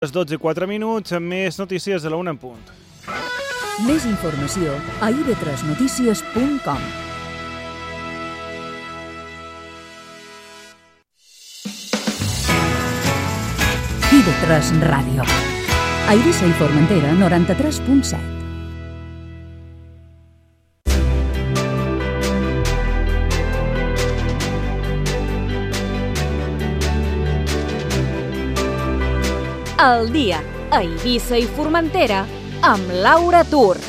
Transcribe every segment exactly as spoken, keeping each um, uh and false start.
Les dotze i quatre minuts, amb més notícies de la una en punt. Més informació a i ve tres notícies punt com. i ve tres Ràdio. A Eivissa i Formentera, noranta-tres punt set. El dia a Eivissa i Formentera amb Laura Tur.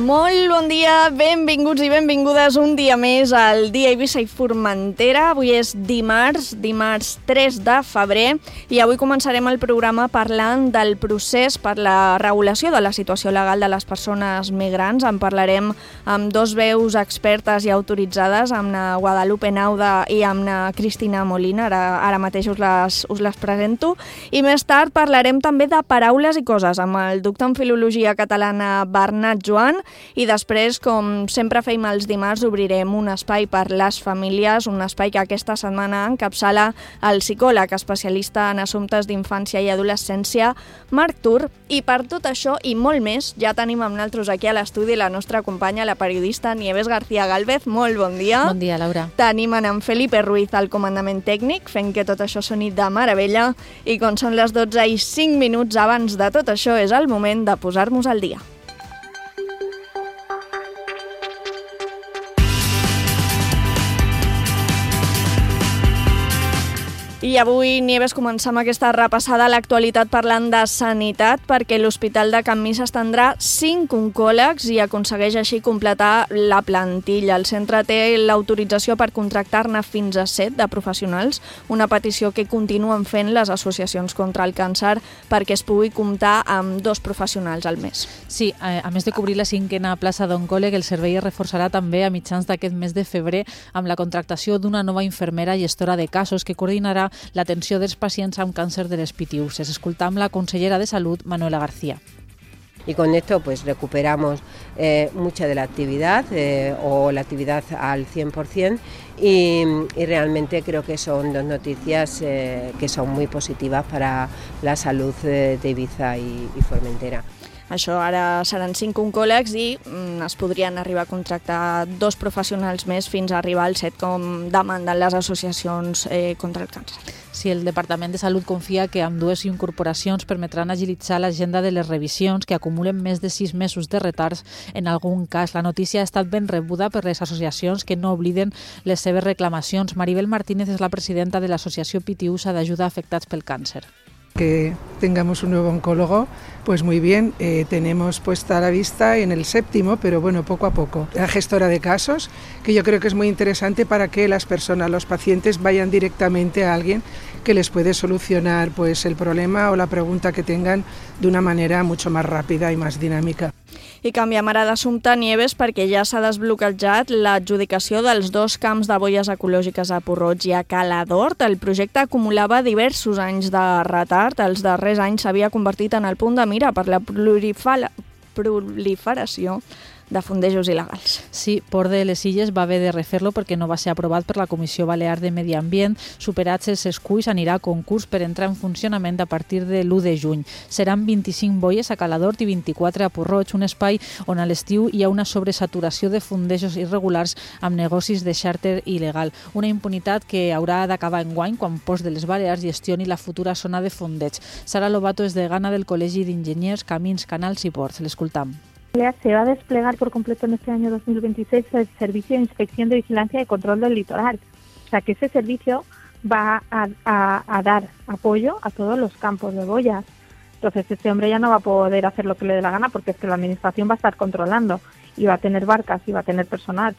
Molt bon dia, benvinguts i benvingudes un dia més al dia Eivissa i Formentera. Avui és dimarts, dimarts tres de febrer, i avui començarem el programa parlant del procés per la regulació de la situació legal de les persones migrants. En parlarem amb dos veus expertes i autoritzades, amb na Guadalupe Nauda i amb na Cristina Molina, ara, ara mateix us les, us les presento. I més tard parlarem també de paraules i coses amb el doctor en Filologia Catalana Bernat Joan. I després, com sempre fem els dimarts, obrirem un espai per les famílies, un espai que aquesta setmana encapçala el psicòleg especialista en assumptes d'infància i adolescència, Marc Tur. I per tot això i molt més, ja tenim amb nosaltres aquí a l'estudi la nostra companya, la periodista Nieves García Gálvez. Molt bon dia. Bon dia, Laura. Tenim en Felipe Ruiz al comandament tècnic, fent que tot això soni de meravella. I com són les dotze i cinc minuts abans de tot això, és el moment de posar-nos al dia. I avui, Nieves, començam aquesta repassada a l'actualitat parlant de sanitat, perquè l'Hospital de Can Mis estendrà cinc oncòlegs i aconsegueix així completar la plantilla. El centre té l'autorització per contractar-ne fins a set de professionals, una petició que continuen fent les associacions contra el càncer perquè es pugui comptar amb dos professionals al mes. Sí, a més de cobrir la cinquena plaça d'oncòleg, el servei es reforçarà també a mitjans d'aquest mes de febrer amb la contractació d'una nova infermera gestora de casos que coordinarà l'atenció dels pacients amb càncer de les pitiüses. Escoltam la consellera de Salut, Manuela García. Y con esto pues recuperamos eh, mucha de la actividad eh, o la actividad al cien por ciento y, y realmente creo que son dos noticias eh, que son muy positivas para la salud eh, de Eivissa i, i Formentera. Això ara seran cinc oncòlegs i mm, es podrien arribar a contractar dos professionals més fins a arribar al set, com demanden les associacions eh, contra el càncer. Sí, el Departament de Salut confia que amb dues incorporacions permetran agilitzar l'agenda de les revisions que acumulen més de sis mesos de retards en algun cas. La notícia ha estat ben rebuda per les associacions que no obliden les seves reclamacions. Maribel Martínez és la presidenta de l'Associació Pitiusa d'Ajuda a Afectats pel Càncer. Que tengamos un nuevo oncólogo, pues muy bien, eh, tenemos puesta la vista en el séptimo, pero bueno, poco a poco. La gestora de casos, que yo creo que es muy interesante para que las personas, los pacientes, vayan directamente a alguien que les puede solucionar pues el problema o la pregunta que tengan de una manera mucho más rápida y más dinámica. I canviem ara d'assumpte, Nieves, perquè ja s'ha desbloquejat l'adjudicació dels dos camps de boies ecològiques a Port-roig i a Cala d'Hort. El projecte acumulava diversos anys de retard. Els darrers anys s'havia convertit en el punt de mira per la proliferació de fondejos il·legals. Sí, Port de les Illes va haver de refer-lo perquè no va ser aprovat per la Comissió Balear de Medi Ambient. Superats els esculls, anirà a concurs per entrar en funcionament a partir de l'u de juny. Seran vint-i-cinc boies a Cala d'Hort i vint-i-quatre a Port-roig, un espai on a l'estiu hi ha una sobresaturació de fondejos irregulars amb negocis de xàrter il·legal. Una impunitat que haurà d'acabar enguany quan Ports de les Balears gestioni la futura zona de fondeig. Sara Lobato és degana del Col·legi d'Enginyers, Camins, Canals i Ports. L'escoltam. Se va a desplegar por completo en este año dos mil veintiséis el Servicio de Inspección de Vigilancia y Control del Litoral. O sea que ese servicio va a, a, a dar apoyo a todos los campos de boyas. Entonces este hombre ya no va a poder hacer lo que le dé la gana porque es que la administración va a estar controlando i va a tener barcas i va a tener personal.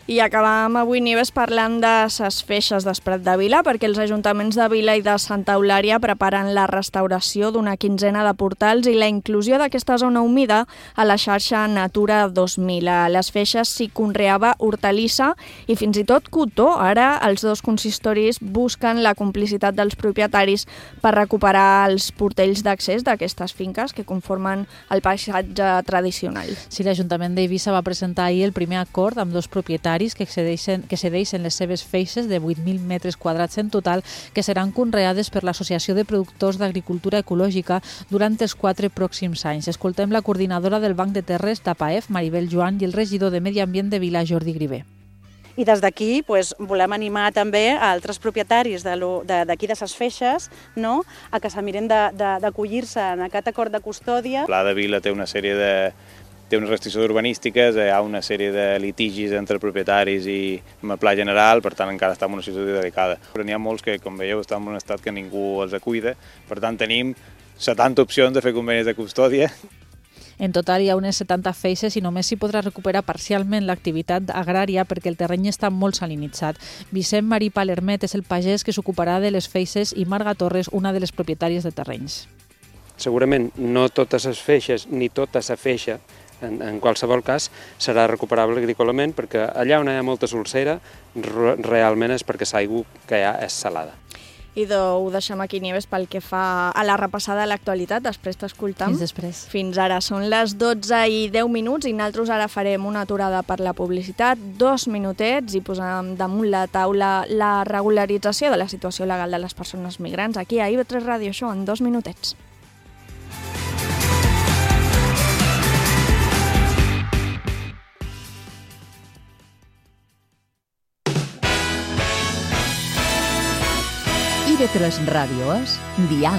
I acabam avui, Nieves, parlant de ses feixes d'Esprat de Vila, perquè els ajuntaments de Vila i de Santa Eulària preparen la restauració d'una quinzena de portals i la inclusió d'aquesta zona humida a la xarxa Natura dos mil. A les feixes s'hi conreava hortalissa i fins i tot cotó. Ara els dos consistoris busquen la complicitat dels propietaris per recuperar els portells d'accés d'aquestes finques que conformen el paisatge tradicional. Sí, l'Ajuntament d'Eivissa va presentar ahir el primer acord amb dos propietaris propietaris que cedeixen, que cedeixen les seves feixes de vuit mil metres quadrats en total, que seran conreades per l'Associació de Productors d'Agricultura Ecològica durant els quatre pròxims anys. Escoltem la coordinadora del Banc de Terres d'Apaef, Maribel Joan, i el regidor de Medi Ambient de Vila, Jordi Grivé. I des d'aquí pues, volem animar també a altres propietaris d'aquí de ses feixes, no?, a que se miren d'acollir-se en aquest acord de custòdia. El Pla de Vila té una sèrie de té unes restriccions urbanístiques, hi ha una sèrie de litigis entre propietaris i el pla general, per tant encara està en una situació delicada. Però n'hi ha molts que, com veieu, estan en un estat que ningú els cuida, per tant tenim setanta opcions de fer convenis de custòdia. En total hi ha unes setanta feixes i només s'hi podrà recuperar parcialment l'activitat agrària perquè el terreny està molt salinitzat. Vicent Marí Palermet és el pagès que s'ocuparà de les feixes i Marga Torres, una de les propietàries de terrenys. Segurament no totes les feixes ni tota la feixa, en, en qualsevol cas, serà recuperable agrícolament perquè allà on hi ha molta solsera realment és perquè l'aigua que hi ha és salada. Idò, ho deixem aquí, Nieves, pel que fa a la repassada de l'actualitat. Després t'escoltam. Fins després. Fins ara. Són les dotze i deu minuts i nosaltres ara farem una aturada per la publicitat, dos minutets, i posem damunt la taula la regularització de la situació legal de les persones migrants aquí a I V tres Ràdio Show en dos minutets. I V tres Ràdio és Dial.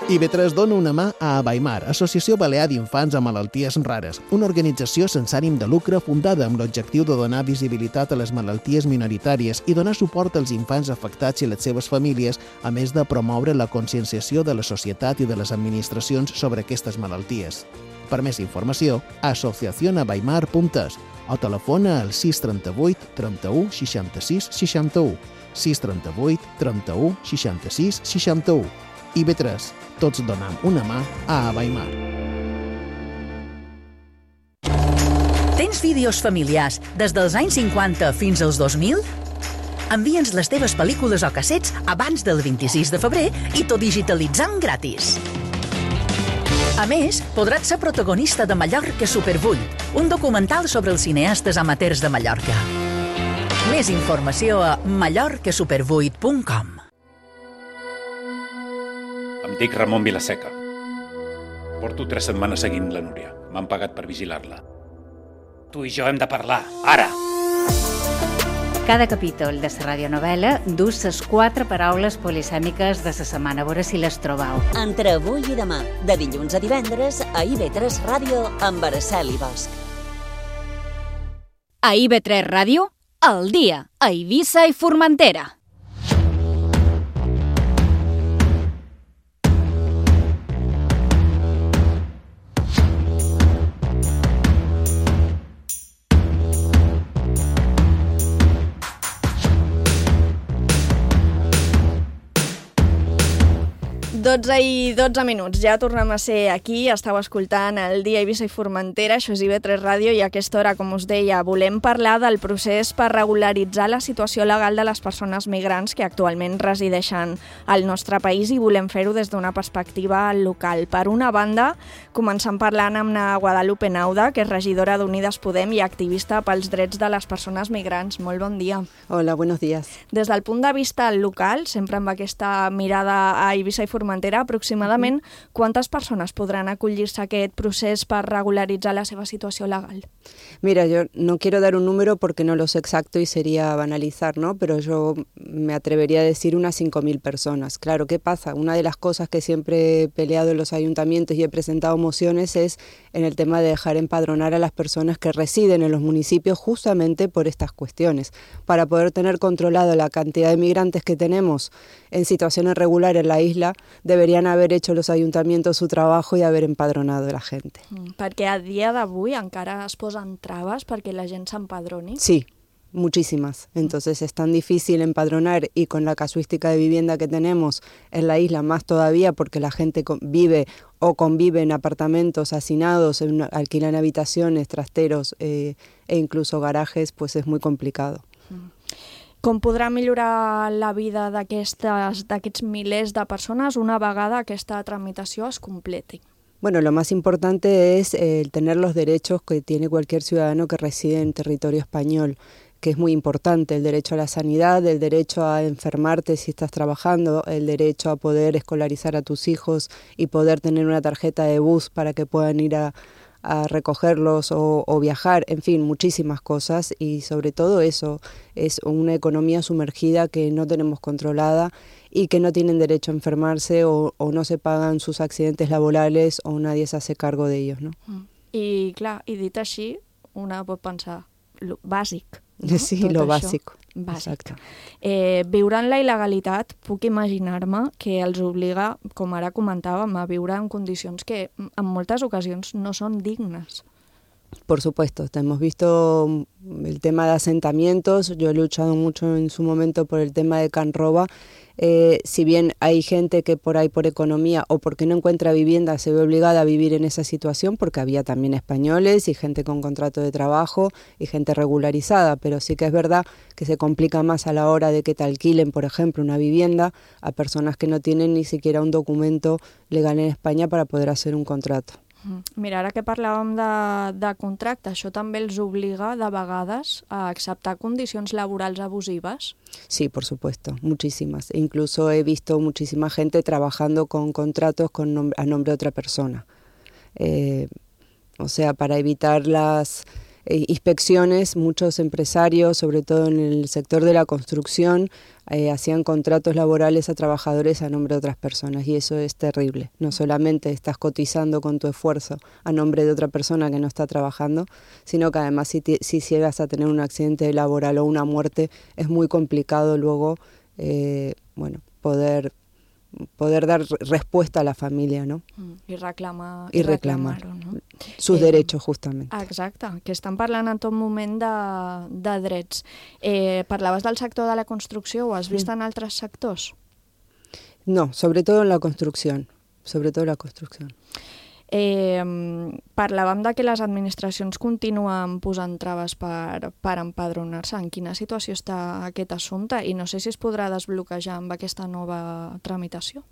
I V tres dona una mà a Abaimar, Associació Balear d'Infants amb Malalties Rares, una organització sense ànim de lucre fundada amb l'objectiu de donar visibilitat a les malalties minoritàries i donar suport als infants afectats i les seves famílies, a més de promoure la conscienciació de la societat i de les administracions sobre aquestes malalties. Per més informació, asociación abaimar punt es o telefona al sis trenta-vuit trenta-u seixanta-sis seixanta-u, sis trenta-vuit trenta-u seixanta-sis seixanta-u. I V tres, tots donem una mà a Abaimar. Tens vídeos familiars des dels anys cinquanta fins als dos mil? Envia'ns les teves pel·lícules o cassets abans del vint-i-sis de febrer i t'ho digitalitzam gratis. A més, podràs ser protagonista de Mallorca Supervull, un documental sobre els cineastes amateurs de Mallorca. Més informació a mallorca supervuit punt com. Em dic Ramon Vilaseca. Porto tres setmanes seguint la Núria. M'han pagat per vigilar-la. Tu i jo hem de parlar, ara! Cada capítol de la radionovel·la dus les quatre paraules polisèmiques de la setmana. A veure si les trobau. Entre avui i demà, de dilluns a divendres, a I V tres Ràdio amb Araceli Bosch. A I V tres Ràdio, al dia, a Eivissa i Formentera. dotze i dotze minuts, ja tornem a ser aquí, estàu escoltant el dia Eivissa i Formentera, això és I V tres Ràdio, i a aquesta hora, com us deia, volem parlar del procés per regularitzar la situació legal de les persones migrants que actualment resideixen al nostre país i volem fer-ho des d'una perspectiva local. Per una banda, començant parlant amb la Guadalupe Nauda, que és regidora d'Unides Podem i activista pels drets de les persones migrants. Molt bon dia. Hola, buenos días. Des del punt de vista local, sempre amb aquesta mirada a Eivissa i Formentera, aproximadament quantes persones podran acollir-se a aquest procés per regularitzar la seva situació legal? Mira, yo no quiero dar un número porque no lo sé exacto y sería banalizar, ¿no? Pero yo me atrevería a decir unas cinco mil personas. Claro, ¿qué pasa? Una de las cosas que siempre he peleado en los ayuntamientos y he presentado mociones es en el tema de dejar empadronar a las personas que residen en los municipios justamente por estas cuestiones, para poder tener controlado la cantidad de migrantes que tenemos en situación irregular en la isla. Deberían haber hecho los ayuntamientos su trabajo y haber empadronado a la gente. Mm, perquè a dia d'avui encara es posen traves perquè la gent s'empadroni? Sí, muchísimas. Entonces es tan difícil empadronar y con la casuística de vivienda que tenemos en la isla más todavía porque la gente vive o convive en apartamentos hacinados, en, alquilan habitaciones, trasteros eh, e incluso garajes, pues es muy complicado. Mm. Com podrà millorar la vida d'aquests milers de persones una vegada aquesta tramitació es completi? Bueno, lo más importante es eh, tener los derechos que tiene cualquier ciudadano que reside en territorio español, que es muy importante, el derecho a la sanidad, el derecho a enfermarte si estás trabajando, el derecho a poder escolarizar a tus hijos y poder tener una tarjeta de bus para que puedan ir a, a recogerlos o, o viajar, en fin, muchísimas cosas, y sobre todo eso, es una economía sumergida que no tenemos controlada y que no tienen derecho a enfermarse o, o no se pagan sus accidentes laborales o nadie se hace cargo de ellos, ¿no? I clar, i dit així, una pot pensar, lo bàsic, no? Sí, Tot lo això. básico. Bàsic. Exacte. Eh, viure en la il·legalitat, puc imaginar-me que els obliga, com ara comentàvem, a viure en condicions que en moltes ocasions no són dignes. Por supuesto, hemos visto el tema de asentamientos, yo he luchado mucho en su momento por el tema de Can Roba. Eh, si bien hay gente que por ahí por economía o porque no encuentra vivienda se ve obligada a vivir en esa situación, porque había también españoles y gente con contrato de trabajo y gente regularizada, pero sí que es verdad que se complica más a la hora de que te alquilen, por ejemplo, una vivienda a personas que no tienen ni siquiera un documento legal en España para poder hacer un contrato. Mira, ara que parlàvem de, de contracte, això també els obliga de vegades a acceptar condicions laborals abusives? Sí, por supuesto, muchísimas. Incluso he visto muchísima gente trabajando con contratos con nom- a nombre de otra persona. Eh, o sea, para evitar las eh, inspecciones, muchos empresarios, sobre todo en el sector de la construcción, eh, hacían contratos laborales a trabajadores a nombre de otras personas, y eso es terrible. No solamente estás cotizando con tu esfuerzo a nombre de otra persona que no está trabajando, sino que además si, te, si llegas a tener un accidente laboral o una muerte, es muy complicado luego eh, bueno, poder poder dar respuesta a la familia, ¿no? I reclamar, I reclamar no? sus eh, derechos, justamente. Exacte, que estan parlant en tot moment de, de drets. Eh, parlaves del sector de la construcció, ho has vist en altres sectors? No, sobre todo en la construcción, sobre todo en la construcción. Eh, parlàvem de que les administracions continuen posant traves per, per empadronar-se. En quina situació està aquest assumpte? I no sé si es podrà desbloquejar amb aquesta nova tramitació.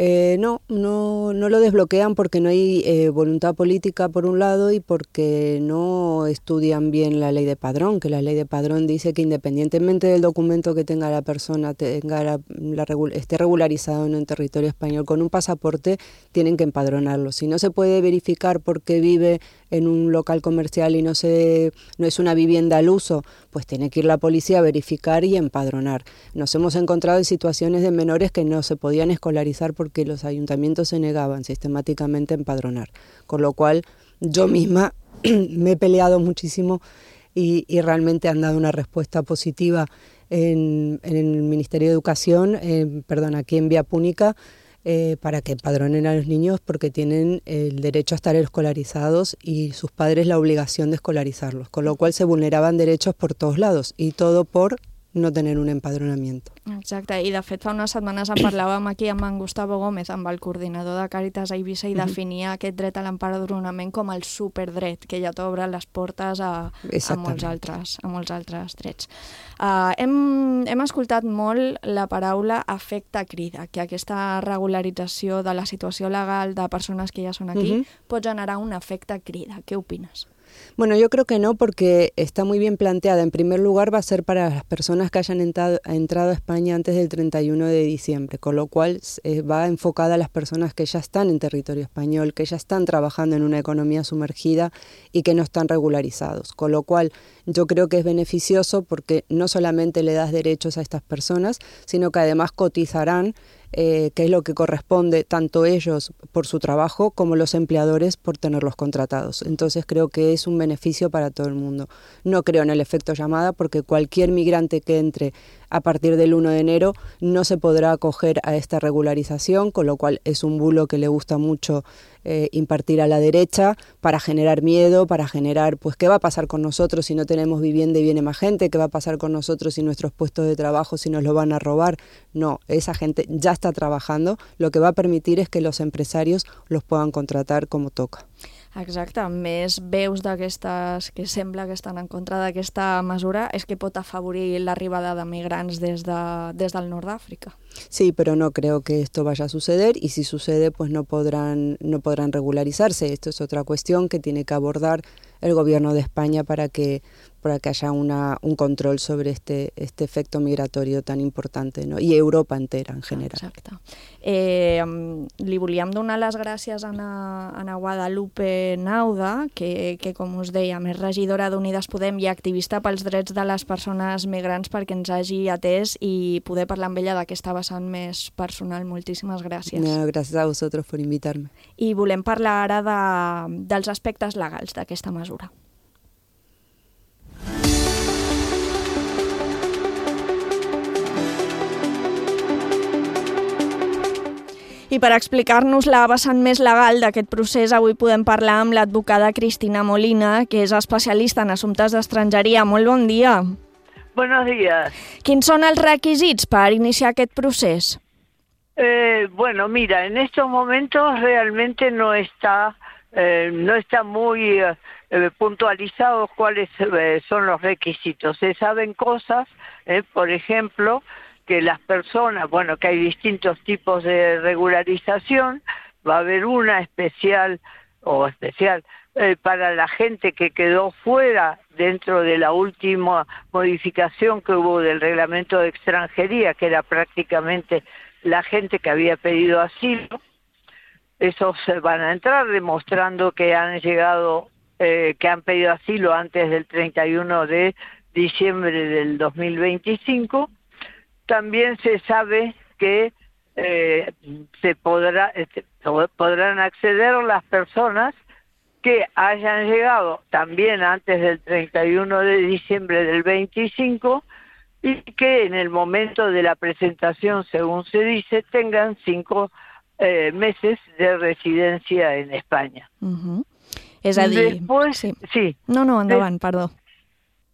Eh, no, no, no lo desbloquean porque no hay eh, voluntad política por un lado y porque no estudian bien la ley de padrón, que la ley de padrón dice que independientemente del documento que tenga la persona, tenga la, la regul- esté regularizado en un territorio español con un pasaporte, tienen que empadronarlo. Si no se puede verificar por qué vive en un local comercial y no, se, no es una vivienda al uso, pues tiene que ir la policía a verificar y empadronar. Nos hemos encontrado en situaciones de menores que no se podían escolarizar porque los ayuntamientos se negaban sistemáticamente a empadronar. Con lo cual yo misma me he peleado muchísimo y, y realmente han dado una respuesta positiva en, en el Ministerio de Educación, eh, perdón, aquí en Vía Púnica, Eh, para que empadronen a los niños porque tienen el derecho a estar escolarizados y sus padres la obligación de escolarizarlos, con lo cual se vulneraban derechos por todos lados y todo por no tener un empadronamiento. Exacte, i de fet fa unes setmanes en parlàvem aquí amb en Gustavo Gómez, amb el coordinador de Càritas a Eivissa, i definia aquest dret a l'empadronament com el superdret, que ja t'obre les portes a, a, molts altres, a molts altres drets. Uh, hem, hem escoltat molt la paraula efecte crida, que aquesta regularització de la situació legal de persones que ja són aquí uh-huh. pot generar un efecte crida. Què opines? Bueno, yo creo que no, porque está muy bien planteada. En primer lugar, va a ser para las personas que hayan entrado, entrado a España antes del treinta y uno de diciembre, con lo cual eh, va enfocada a las personas que ya están en territorio español, que ya están trabajando en una economía sumergida y que no están regularizados. Con lo cual, yo creo que es beneficioso porque no solamente le das derechos a estas personas, sino que además cotizarán, Eh, que es lo que corresponde tanto ellos por su trabajo como los empleadores por tenerlos contratados. Entonces creo que es un beneficio para todo el mundo. No creo en el efecto llamada porque cualquier migrante que entre a partir del uno de enero no se podrá acoger a esta regularización, con lo cual es un bulo que le gusta mucho eh, impartir a la derecha para generar miedo, para generar, pues, ¿qué va a pasar con nosotros si no tenemos vivienda y viene más gente? ¿Qué va a pasar con nosotros si nuestros puestos de trabajo, si nos lo van a robar? No, esa gente ya está trabajando, lo que va a permitir es que los empresarios los puedan contratar como toca. Exacte, més veus d'aquestes que sembla que estan en contra d'aquesta mesura és que pot afavorir l'arribada de migrants des, de, des del nord d'Àfrica. Sí, pero no creo que esto vaya a suceder y si sucede pues no podrán, no podrán regularizarse. Esto es otra cuestión que tiene que abordar el gobierno de España para que, para que haya una, un control sobre este, este efecto migratorio tan importante, no? I Europa entera en general. Exacte. Eh, li volíem donar les gràcies a Ana, Ana Guadalupe Nauda, que, que com us deia, és regidora d'Unides Podem i activista pels drets de les persones migrants, perquè ens hagi atès i poder parlar amb ella d'aquesta vessant més personal. Moltíssimes gràcies. No, gràcies a vosaltres per invitar-me. I volem parlar ara de, dels aspectes legals d'aquesta mesura. I per explicar-nos la vessant més legal d'aquest procés, avui podem parlar amb l'advocada Cristina Molina, que és especialista en assumptes d'estrangeria. Molt bon dia. Buenos días. Quins són els requisits per iniciar aquest procés? Eh, bueno, mira, en estos momentos realmente no está, eh, no está muy eh, puntualizados cuáles eh, son los requisitos. Se saben cosas, eh, por ejemplo, que las personas, bueno, que hay distintos tipos de regularización, va a haber una especial o especial eh, para la gente que quedó fuera dentro de la última modificación que hubo del reglamento de extranjería, que era prácticamente la gente que había pedido asilo. Esos van a entrar demostrando que han llegado, eh, que han pedido asilo antes del treinta y uno de diciembre del dos mil veinticinco. También se sabe que eh, se podrá, este, podrán acceder las personas que hayan llegado también antes del treinta y uno de diciembre del veinticinco y que en el momento de la presentación, según se dice, tengan cinco eh, meses de residencia en España. Uh-huh. És a dir... Después, sí. sí. No, no, endavant, Des... perdó.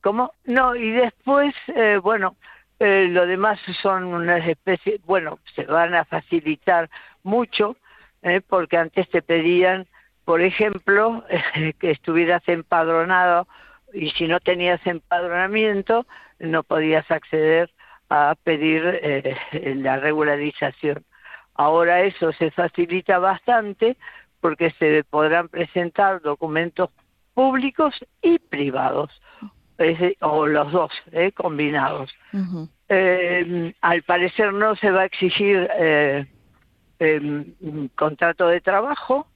¿Cómo? No, y después, eh, bueno... Eh, lo demás son una especie, bueno, se van a facilitar mucho, eh, porque antes te pedían, por ejemplo, eh, que estuvieras empadronado y si no tenías empadronamiento no podías acceder a pedir eh, la regularización. Ahora eso se facilita bastante porque se podrán presentar documentos públicos y privados. Es, o los dos, eh, combinados. Uh-huh. Eh, al parecer no se va a exigir eh, eh, un contrato de trabajo,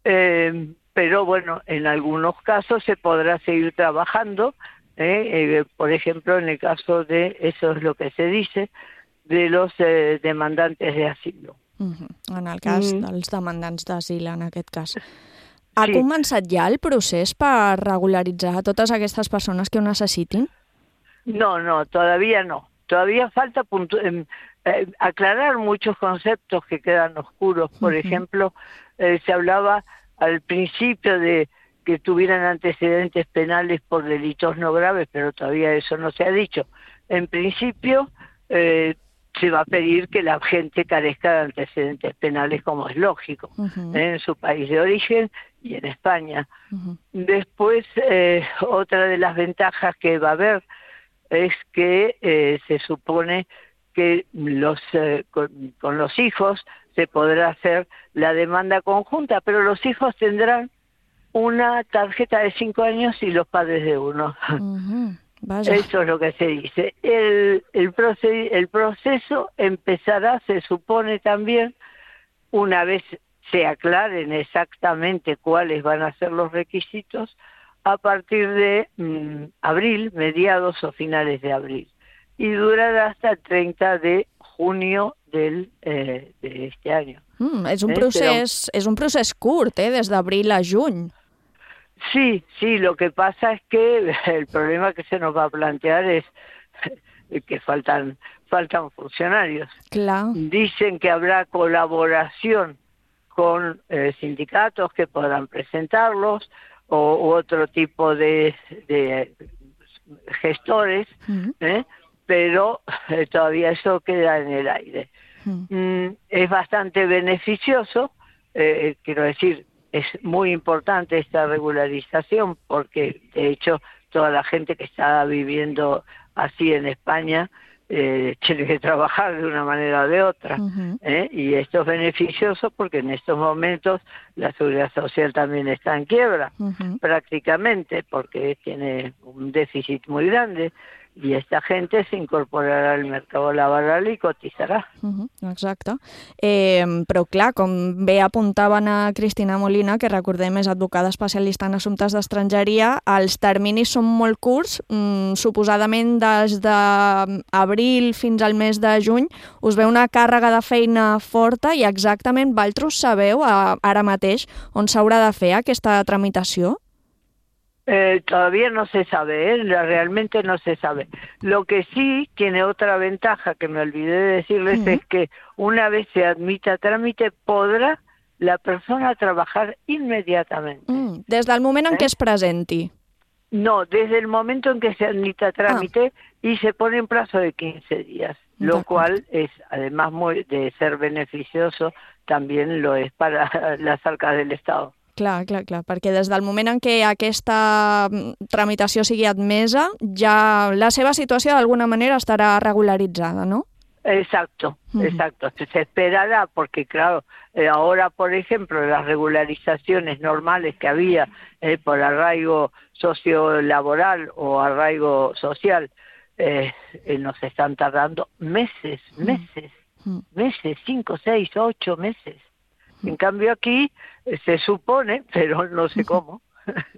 eh, pero bueno, en algunos casos se podrá seguir trabajando, eh, eh, por ejemplo, en el caso de, eso es lo que se dice, de los eh, demandantes de asilo. Uh-huh. En el cas mm. dels demandants d'asil, en aquest cas. Ha sí. començat ja el procés per regularitzar a totes aquestes persones que ho necessitin? No, no, todavía no. Todavía falta puntu- eh, eh, aclarar muchos conceptos que quedan oscuros. Por uh-huh. ejemplo, eh, se hablaba al principio de que tuvieran antecedentes penales por delitos no graves, pero todavía eso no se ha dicho. En principio, eh, se va a pedir que la gente carezca de antecedentes penales, como es lógico, uh-huh. ¿eh? en su país de origen y en España. Uh-huh. Después, eh, otra de las ventajas que va a haber es que eh, se supone que los eh, con, con los hijos se podrá hacer la demanda conjunta, pero los hijos tendrán una tarjeta de cinco años y los padres de uno. Uh-huh. Vaya. Eso es lo que se dice. El, el, proced, el proceso empezará, se supone también, una vez se aclaren exactamente cuáles van a ser los requisitos, a partir de mmm, abril, mediados o finales de abril. Y durará hasta el treinta de junio del, eh, de este año. Mm, és, un eh, procés, Però... és un procés curt, eh, des d'abril a juny. Sí, sí, lo que pasa es que el problema que se nos va a plantear es que faltan, faltan funcionarios. Claro. Dicen que habrá colaboración con eh, sindicatos que podrán presentarlos o u otro tipo de, de gestores, uh-huh. ¿eh? pero eh, todavía eso queda en el aire. Uh-huh. Mm, es bastante beneficioso, eh, quiero decir, es muy importante esta regularización porque, de hecho, toda la gente que está viviendo así en España eh, tiene que trabajar de una manera o de otra. Uh-huh. ¿eh? Y esto es beneficioso porque en estos momentos la seguridad social también está en quiebra, Uh-huh. prácticamente, porque tiene un déficit muy grande. I esta gente s'incorporarà al mercat laboral i cotitzarà. Uh -huh, exacte. Eh, però clar, com bé apuntaven a Cristina Molina, que recordem és advocada especialista en assumptes d'estrangeria, els terminis són molt curts, mm, suposadament des d'abril fins al mes de juny us ve una càrrega de feina forta i exactament vosaltres sabeu eh, ara mateix on s'haurà de fer aquesta tramitació? Eh, todavía no se sabe, ¿eh? Realmente no se sabe. Lo que sí tiene otra ventaja que me olvidé de decirles uh-huh. es que una vez se admita trámite podrá la persona trabajar inmediatamente. Mm, des del moment en ¿Eh? què es presenti. No, desde el momento en que se admita trámite ah. y se pone en plazo de quince días, lo cual es, además muy, de ser beneficioso, también lo es para las arcas del Estado. Clar, clar, clar, perquè des del moment en què aquesta tramitació sigui admesa, ja la seva situació d'alguna manera estarà regularitzada, ¿no? Exacto, uh-huh. exacto. Se esperará porque, claro, eh, ahora, por ejemplo, las regularizaciones normales que había eh, por arraigo sociolaboral o arraigo social, eh, eh, nos están tardando meses, meses, uh-huh. meses, cinco, seis, ocho meses. En cambio aquí eh, se supone, pero no sé cómo,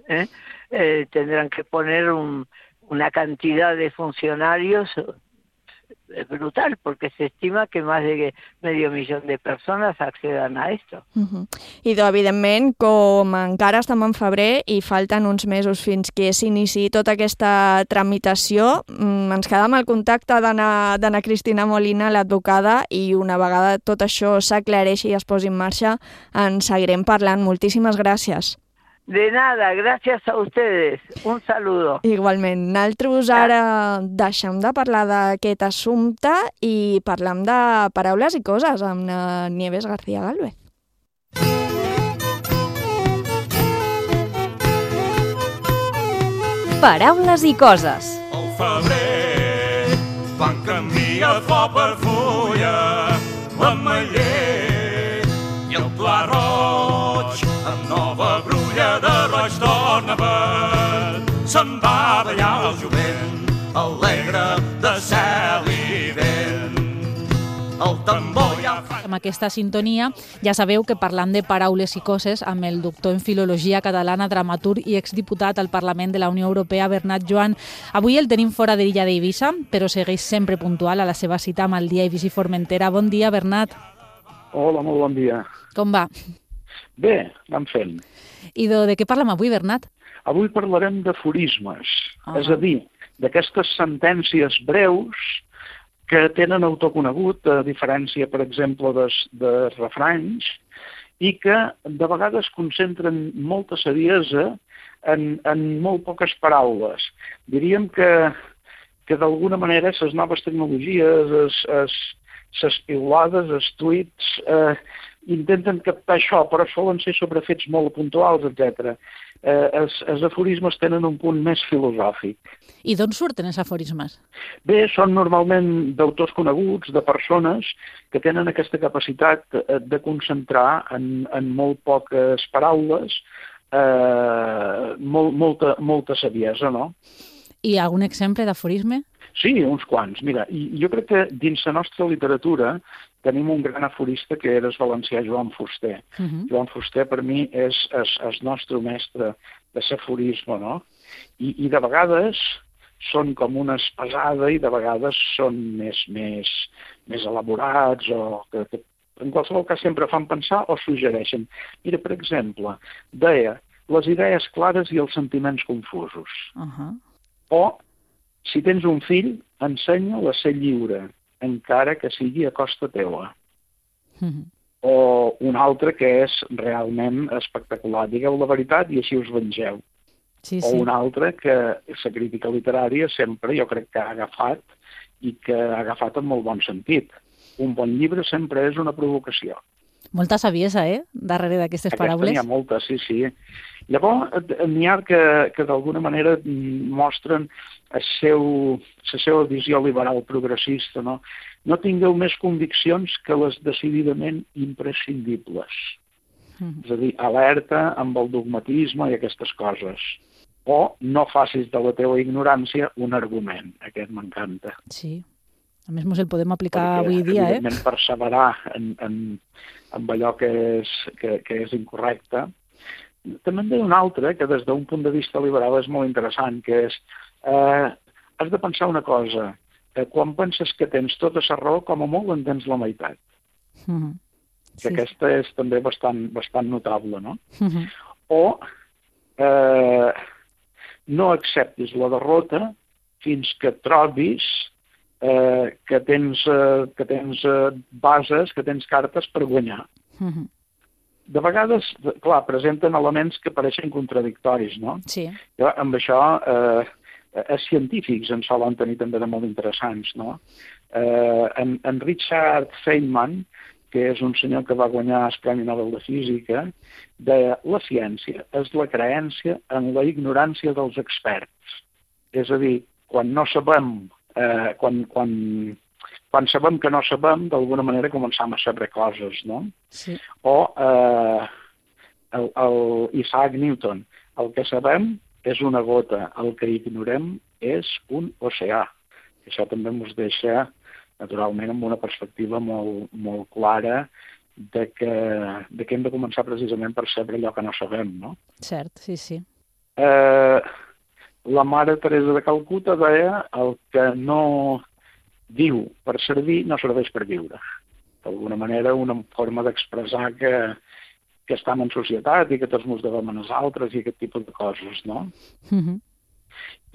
¿eh? Eh, tendrán que poner un, una cantidad de funcionarios eh, brutal, porque se estima que más de medio millón de personas accedan a esto. Uh-huh. I, evidentment, com encara estem en febrer i falten uns mesos fins que s'iniciï tota aquesta tramitació, ens quedem al contacte d'Anna Cristina Molina, l'advocada, i una vegada tot això s'aclareixi i es posi en marxa, en seguirem parlant. Moltíssimes gràcies. De nada, gracias a ustedes. Un saludo. Igualment. Nosaltres ara deixem de parlar d'aquest assumpte i parlem de paraules i coses amb la Nieves García Gálvez. Paraules i coses. Al febrer, quan canvia flor per fulla, l'ametller i el pla roig, amb nova brulla de roig torna verd. Se'n va ballar el jovent, alegre de cel i vent. El tambor ja fa... Amb aquesta sintonia ja sabeu que parlant de paraules i coses amb el doctor en Filologia Catalana, dramaturg i exdiputat al Parlament de la Unió Europea, Bernat Joan. Avui el tenim fora de l'illa d'Eivissa, però segueix sempre puntual a la seva cita amb el dia Eivissa i Formentera. Bon dia, Bernat. Hola, molt bon dia. Com va? Bé, anem fent. I de, de què parlem avui, Bernat? Avui parlarem d'aforismes, uh-huh. és a dir, d'aquestes sentències breus que tenen autoconegut, a diferència, per exemple, de, de refranys, i que de vegades concentren molta saviesa en, en molt poques paraules. Diríem que, que d'alguna manera les noves tecnologies, es, es, les piulades, els tuits, eh, intenten captar això, però solen ser sobre fets molt puntuals, etcètera. Eh, els, els aforismes tenen un punt més filosòfic. I d'on surten els aforismes? Bé, són normalment d'autors coneguts, de persones que tenen aquesta capacitat de concentrar en, en molt poques paraules eh, molt, molta, molta saviesa, no? I algun exemple d'aforisme? Sí, uns quants. Mira, i jo crec que dins la nostra literatura tenim un gran aforista que era el valencià Joan Fuster. Uh-huh. Joan Fuster per mi és el nostre mestre de l'aforisme, no? I, I de vegades són com una espasada i de vegades són més, més, més elaborats o que, que en qualsevol cas sempre fan pensar o suggereixen. Mira, per exemple, deia les idees clares i els sentiments confusos. Uh-huh. O, si tens un fill, ensenya-lo a ser lliure, encara que sigui a costa teua. Uh-huh. O un altre que és realment espectacular. Digueu la veritat i així us vengeu. Sí, o sí. un altre que la crítica literària sempre jo crec que ha agafat i que ha agafat en molt bon sentit. Un bon llibre sempre és una provocació. Molta saviesa, eh?, darrere d'aquestes paraules. Aquesta n'hi ha molta, sí, sí. Llavors, n'hi ha que, que d'alguna manera mostren el seu, la seva visió liberal progressista, no? No tingueu més conviccions que les decididament imprescindibles. Mm. És a dir, alerta amb el dogmatisme i aquestes coses. O no facis de la teva ignorància un argument. Aquest m'encanta. Sí. A més, ens el podem aplicar Perquè, avui dia, eh? evidentment, perseverar en, en, en allò que és, que, que és incorrecte. També en ve un altre, que des d'un punt de vista liberal és molt interessant, que és, eh, has de pensar una cosa, eh, quan penses que tens tota la raó, com a molt en tens la meitat. Mm-hmm. Que sí. Aquesta és també bastant, bastant notable, no? Mm-hmm. O eh, no acceptis la derrota fins que trobis eh, que tens, eh, que tens eh, bases, que tens cartes per guanyar. Mm-hmm. De vegades, clar, presenten elements que pareixen contradictoris, no? Sí. Jo, amb això, eh, els científics en solen tenir també de molt interessants, no? Eh, en, en Richard Feynman, que és un senyor que va guanyar el Premi Nobel de Física, deia, la ciència és la creença en la ignorància dels experts. És a dir, quan no sabem, eh, quan, quan, quan sabem que no sabem, d'alguna manera començam a saber coses, no? Sí. O eh, el, el Isaac Newton, el que sabem és una gota, el que ignorem és un oceà. Això també ens deixa, naturalment, amb una perspectiva molt, molt clara de que, de que hem de començar precisament per saber allò que no sabem, no? Cert, sí, sí. Eh, la mare Teresa de Calcuta deia el que no diu per servir no serveix per viure. D'alguna manera, una forma d'expressar que, que estem en societat i que tots ens devem a nosaltres i aquest tipus de coses, no? Mm-hmm.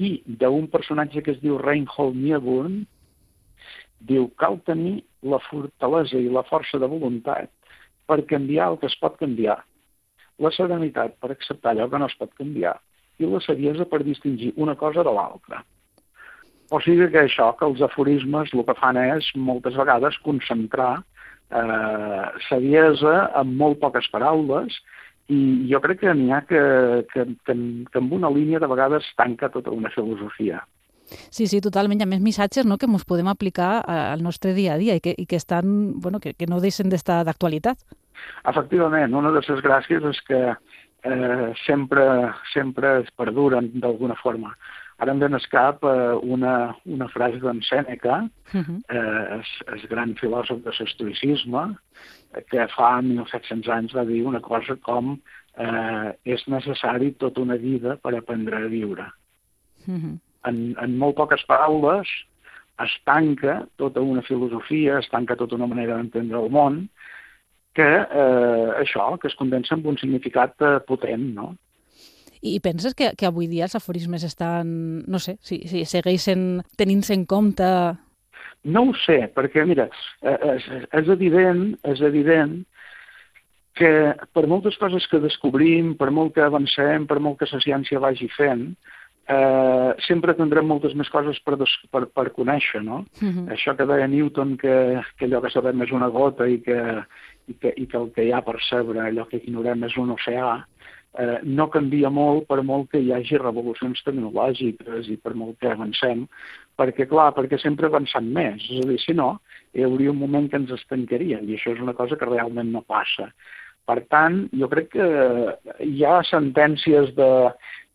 I d'un personatge que es diu Reinhold Niebuhr, diu cal tenir la fortalesa i la força de voluntat per canviar el que es pot canviar, la serenitat per acceptar allò que no es pot canviar i la saviesa per distingir una cosa de l'altra. O sigui que això, que els aforismes el que fan és moltes vegades concentrar eh, saviesa en molt poques paraules i jo crec que n'hi ha que, que, que, que amb una línia de vegades tanca tota una filosofia. Sí, sí, totalment. Hi ha més missatges, no?, que ens podem aplicar al nostre dia a dia i que, i que estan, bueno, que, que no deixen d'estar d'actualitat. Efectivament, una de les gràcies és que eh, sempre, sempre es perduren d'alguna forma. Ara em ven al cap eh, una, una frase d'en Sèneca, uh-huh. eh, el gran filòsof de l'estoïcisme, que fa mil set-cents anys va dir una cosa com eh, és necessari tota una vida per aprendre a viure. Uh-huh. En, en molt poques paraules es tanca tota una filosofia, es tanca tota una manera d'entendre el món, que eh, això, que es condensa en un significat eh, potent, no? I penses que, que avui dia els aforismes estan, no sé, si, si segueixen tenint-se en compte? No ho sé, perquè, mira, és, és evident, és evident que per moltes coses que descobrim, per molt que avancem, per molt que la ciència vagi fent, eh, sempre tindrem moltes més coses per, des, per, per conèixer, no? Uh-huh. Això que deia Newton, que, que allò que sabem és una gota i que, i, que, i que el que hi ha per saber, allò que ignorem és un oceà, eh, no canvia molt per molt que hi hagi revolucions tecnològiques i per molt que avancem, perquè, clar, perquè sempre avancem més. És a dir, si no, hi hauria un moment que ens estancaríem i això és una cosa que realment no passa. Per tant, jo crec que hi ha sentències de,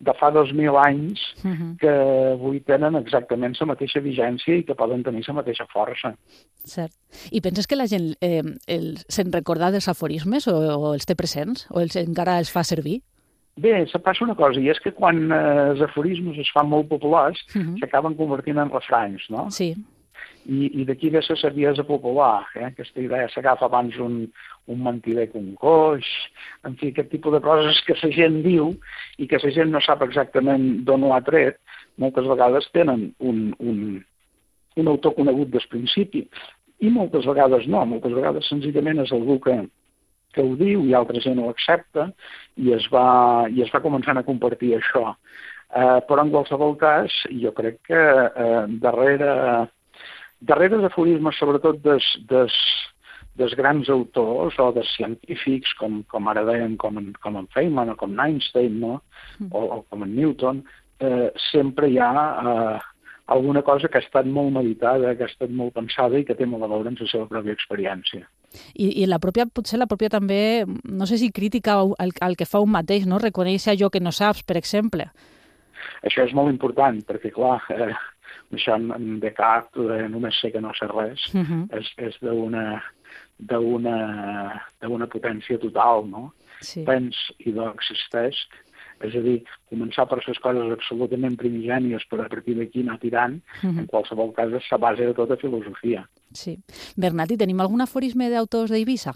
de fa dos mil anys uh-huh. que avui tenen exactament la mateixa vigència i que poden tenir la mateixa força. Cert. I penses que la gent eh, el, se'n recorda dels aforismes o, o els té presents? O els, encara els fa servir? Bé, se passa una cosa, i és que quan eh, els aforismes es fan molt populars, uh-huh. s'acaben convertint en refranys, no? Sí. I, i d'aquí ve la saviesa popular, eh? Aquesta idea s'agafa abans un, un mentider que un coix, en fi, aquest tipus de coses que la gent diu i que la gent no sap exactament d'on ho ha tret, moltes vegades tenen un, un, un autor conegut des principi, i moltes vegades no, moltes vegades senzillament és algú que, que ho diu i altra gent ho accepta i es va, i es va començant a compartir això. Eh, però en qualsevol cas, jo crec que eh, darrere... Darrere els aforismes, sobretot des, des, dels grans autors o dels científics, com, com ara deien, com en, com en Feynman o com en Einstein, no? o, o com en Newton, eh, sempre hi ha eh, alguna cosa que ha estat molt meditada, que ha estat molt pensada i que té molt a veure amb la seva pròpia experiència. I, i la pròpia, potser la pròpia també, no sé si crítica al, al que fa un mateix, no? Reconèixer allò que no saps, per exemple. Això és molt important, perquè, clar, eh, això en Descartes, eh, només sé que no sé res, uh -huh. és, és d'una d'una potència total, no? Sí. Pens i do existeix. És a dir, començar per les coses absolutament primigènies per a partir d'aquí anar tirant, uh-huh. en qualsevol cas és la base de tota filosofia. Sí. Bernat, i tenim algun aforisme d'autors d'Eivissa?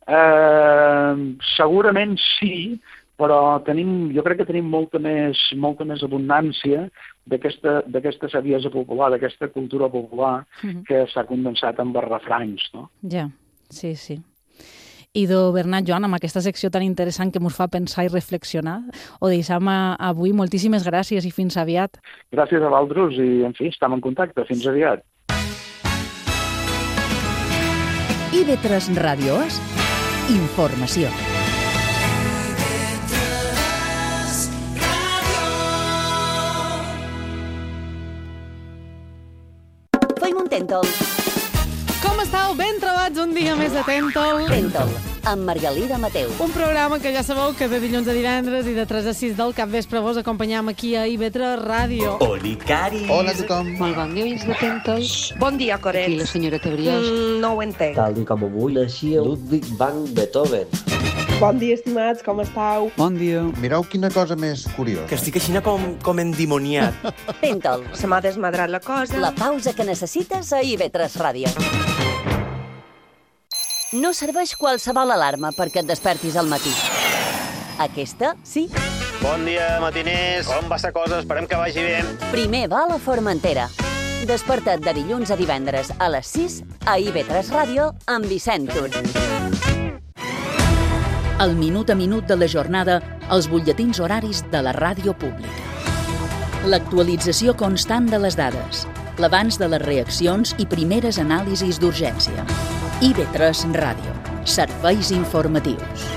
Eh, segurament sí, però tenim, jo crec que tenim molta més, molta més abundància d'aquesta saviesa popular, d'aquesta cultura popular, uh-huh. que s'ha condensat amb els refranys, no? Ja, sí, sí. Idò Bernat, Joan, amb aquesta secció tan interessant que ens fa pensar i reflexionar, ho deixem avui. Moltíssimes gràcies i fins aviat. Gràcies a vosaltres i, en fi, estem en contacte. Fins aviat. I ve tres Ràdios, informació. Fem un Tentol. Com estàu? Ben trobats un dia més de Tentol. Tentol, amb Margalida Mateu. Un programa que ja sabeu que de dilluns a divendres i de tres a sis del capvespre vos acompanyam aquí a I V tres Ràdio. Olicaris. Hola a tothom. Molt bon dia, oients de Tentol. Bon dia, Coret. Aquí la senyora Brioix. Mm, no ho entenc. Tal i com avui naixia Ludwig van Beethoven. Bon dia, estimats, com estàu? Bon dia. Mireu quina cosa més curiosa. Que estic així com, com endimoniat. Tentol. Se m'ha desmadrat la cosa. La pausa que necessites a I V tres Ràdio. No serveix qualsevol alarma perquè et despertis al matí. Aquesta, sí. Bon dia, matiners. Com va la cosa? Esperem que vagi bé. Primer va a la Formentera. Desperta't de dilluns a divendres a les sis a I V tres Ràdio amb Vicent Tur. El minut a minut de la jornada, els butlletins horaris de la ràdio pública. L'actualització constant de les dades, l'abans de les reaccions i primeres anàlisis d'urgència. I V tres Ràdio. Serveis informatius.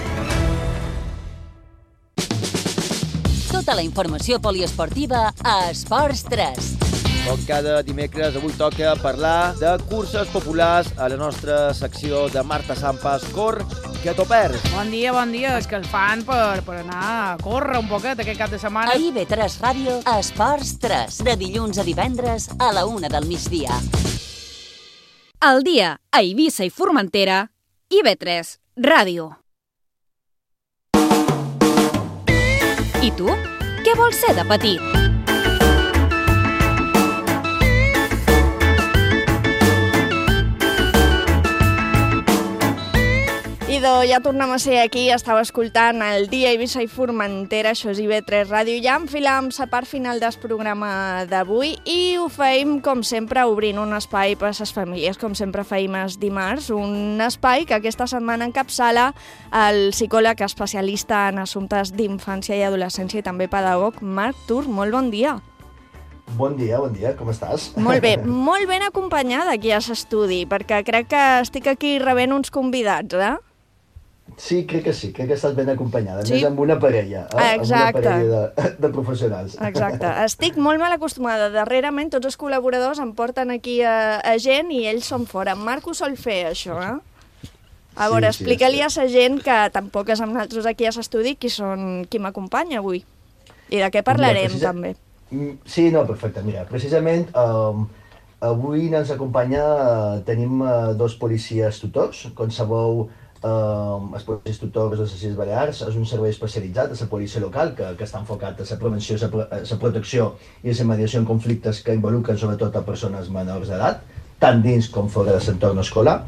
Tota la informació poliesportiva a Esports tres. Com cada dimecres, avui toca parlar de curses populars a la nostra secció de Marta Sampas. Cor, que t'ho perds. Bon dia, bon dia. És que el fan per, per anar a córrer un poquet aquest cap de setmana. A I V tres Ràdio, a Esports tres, de dilluns a divendres a la una del migdia. Al dia, a Eivissa i Formentera, I V tres Ràdio. I tu? Què vols ser de petit? Idò, ja tornem a ser aquí, estava escoltant el dia Eivissa i Formentera, això és I V tres Ràdio, ja enfilam la part final del programa d'avui i ho feim, com sempre, obrint un espai per a les famílies, com sempre feim els dimarts, un espai que aquesta setmana encapçala el psicòleg especialista en assumptes d'infància i adolescència i també pedagog, Marc Tur. Molt bon dia. Bon dia, bon dia, com estàs? Molt bé, molt ben acompanyada aquí a l'estudi, perquè crec que estic aquí rebent uns convidats, eh? Sí, crec que sí, crec que estàs ben acompanyada, sí? Més amb una parella, eh? Exacte. Amb una parella de, de professionals. Exacte, estic molt mal acostumada. Darrerament tots els col·laboradors em porten aquí a, a gent i ells són fora. En Marc ho sol fer, això, eh? A veure, sí, explica-li sí, a la gent que tampoc és amb nosaltres aquí a l'estudi qui, són, qui m'acompanya avui. I de què parlarem, mira, precisa... també. Sí, no, perfecte. Mira, precisament um, avui ens acompanya, uh, tenim uh, dos policies tutors. Com sabeu, Uh, els policies tutors de les Illes Balears és un servei especialitzat de la policia local que, que està enfocat a la prevenció, a la protecció i a la mediació en conflictes que involucren sobretot a persones menors d'edat, tant dins com fora de l'entorn escolar.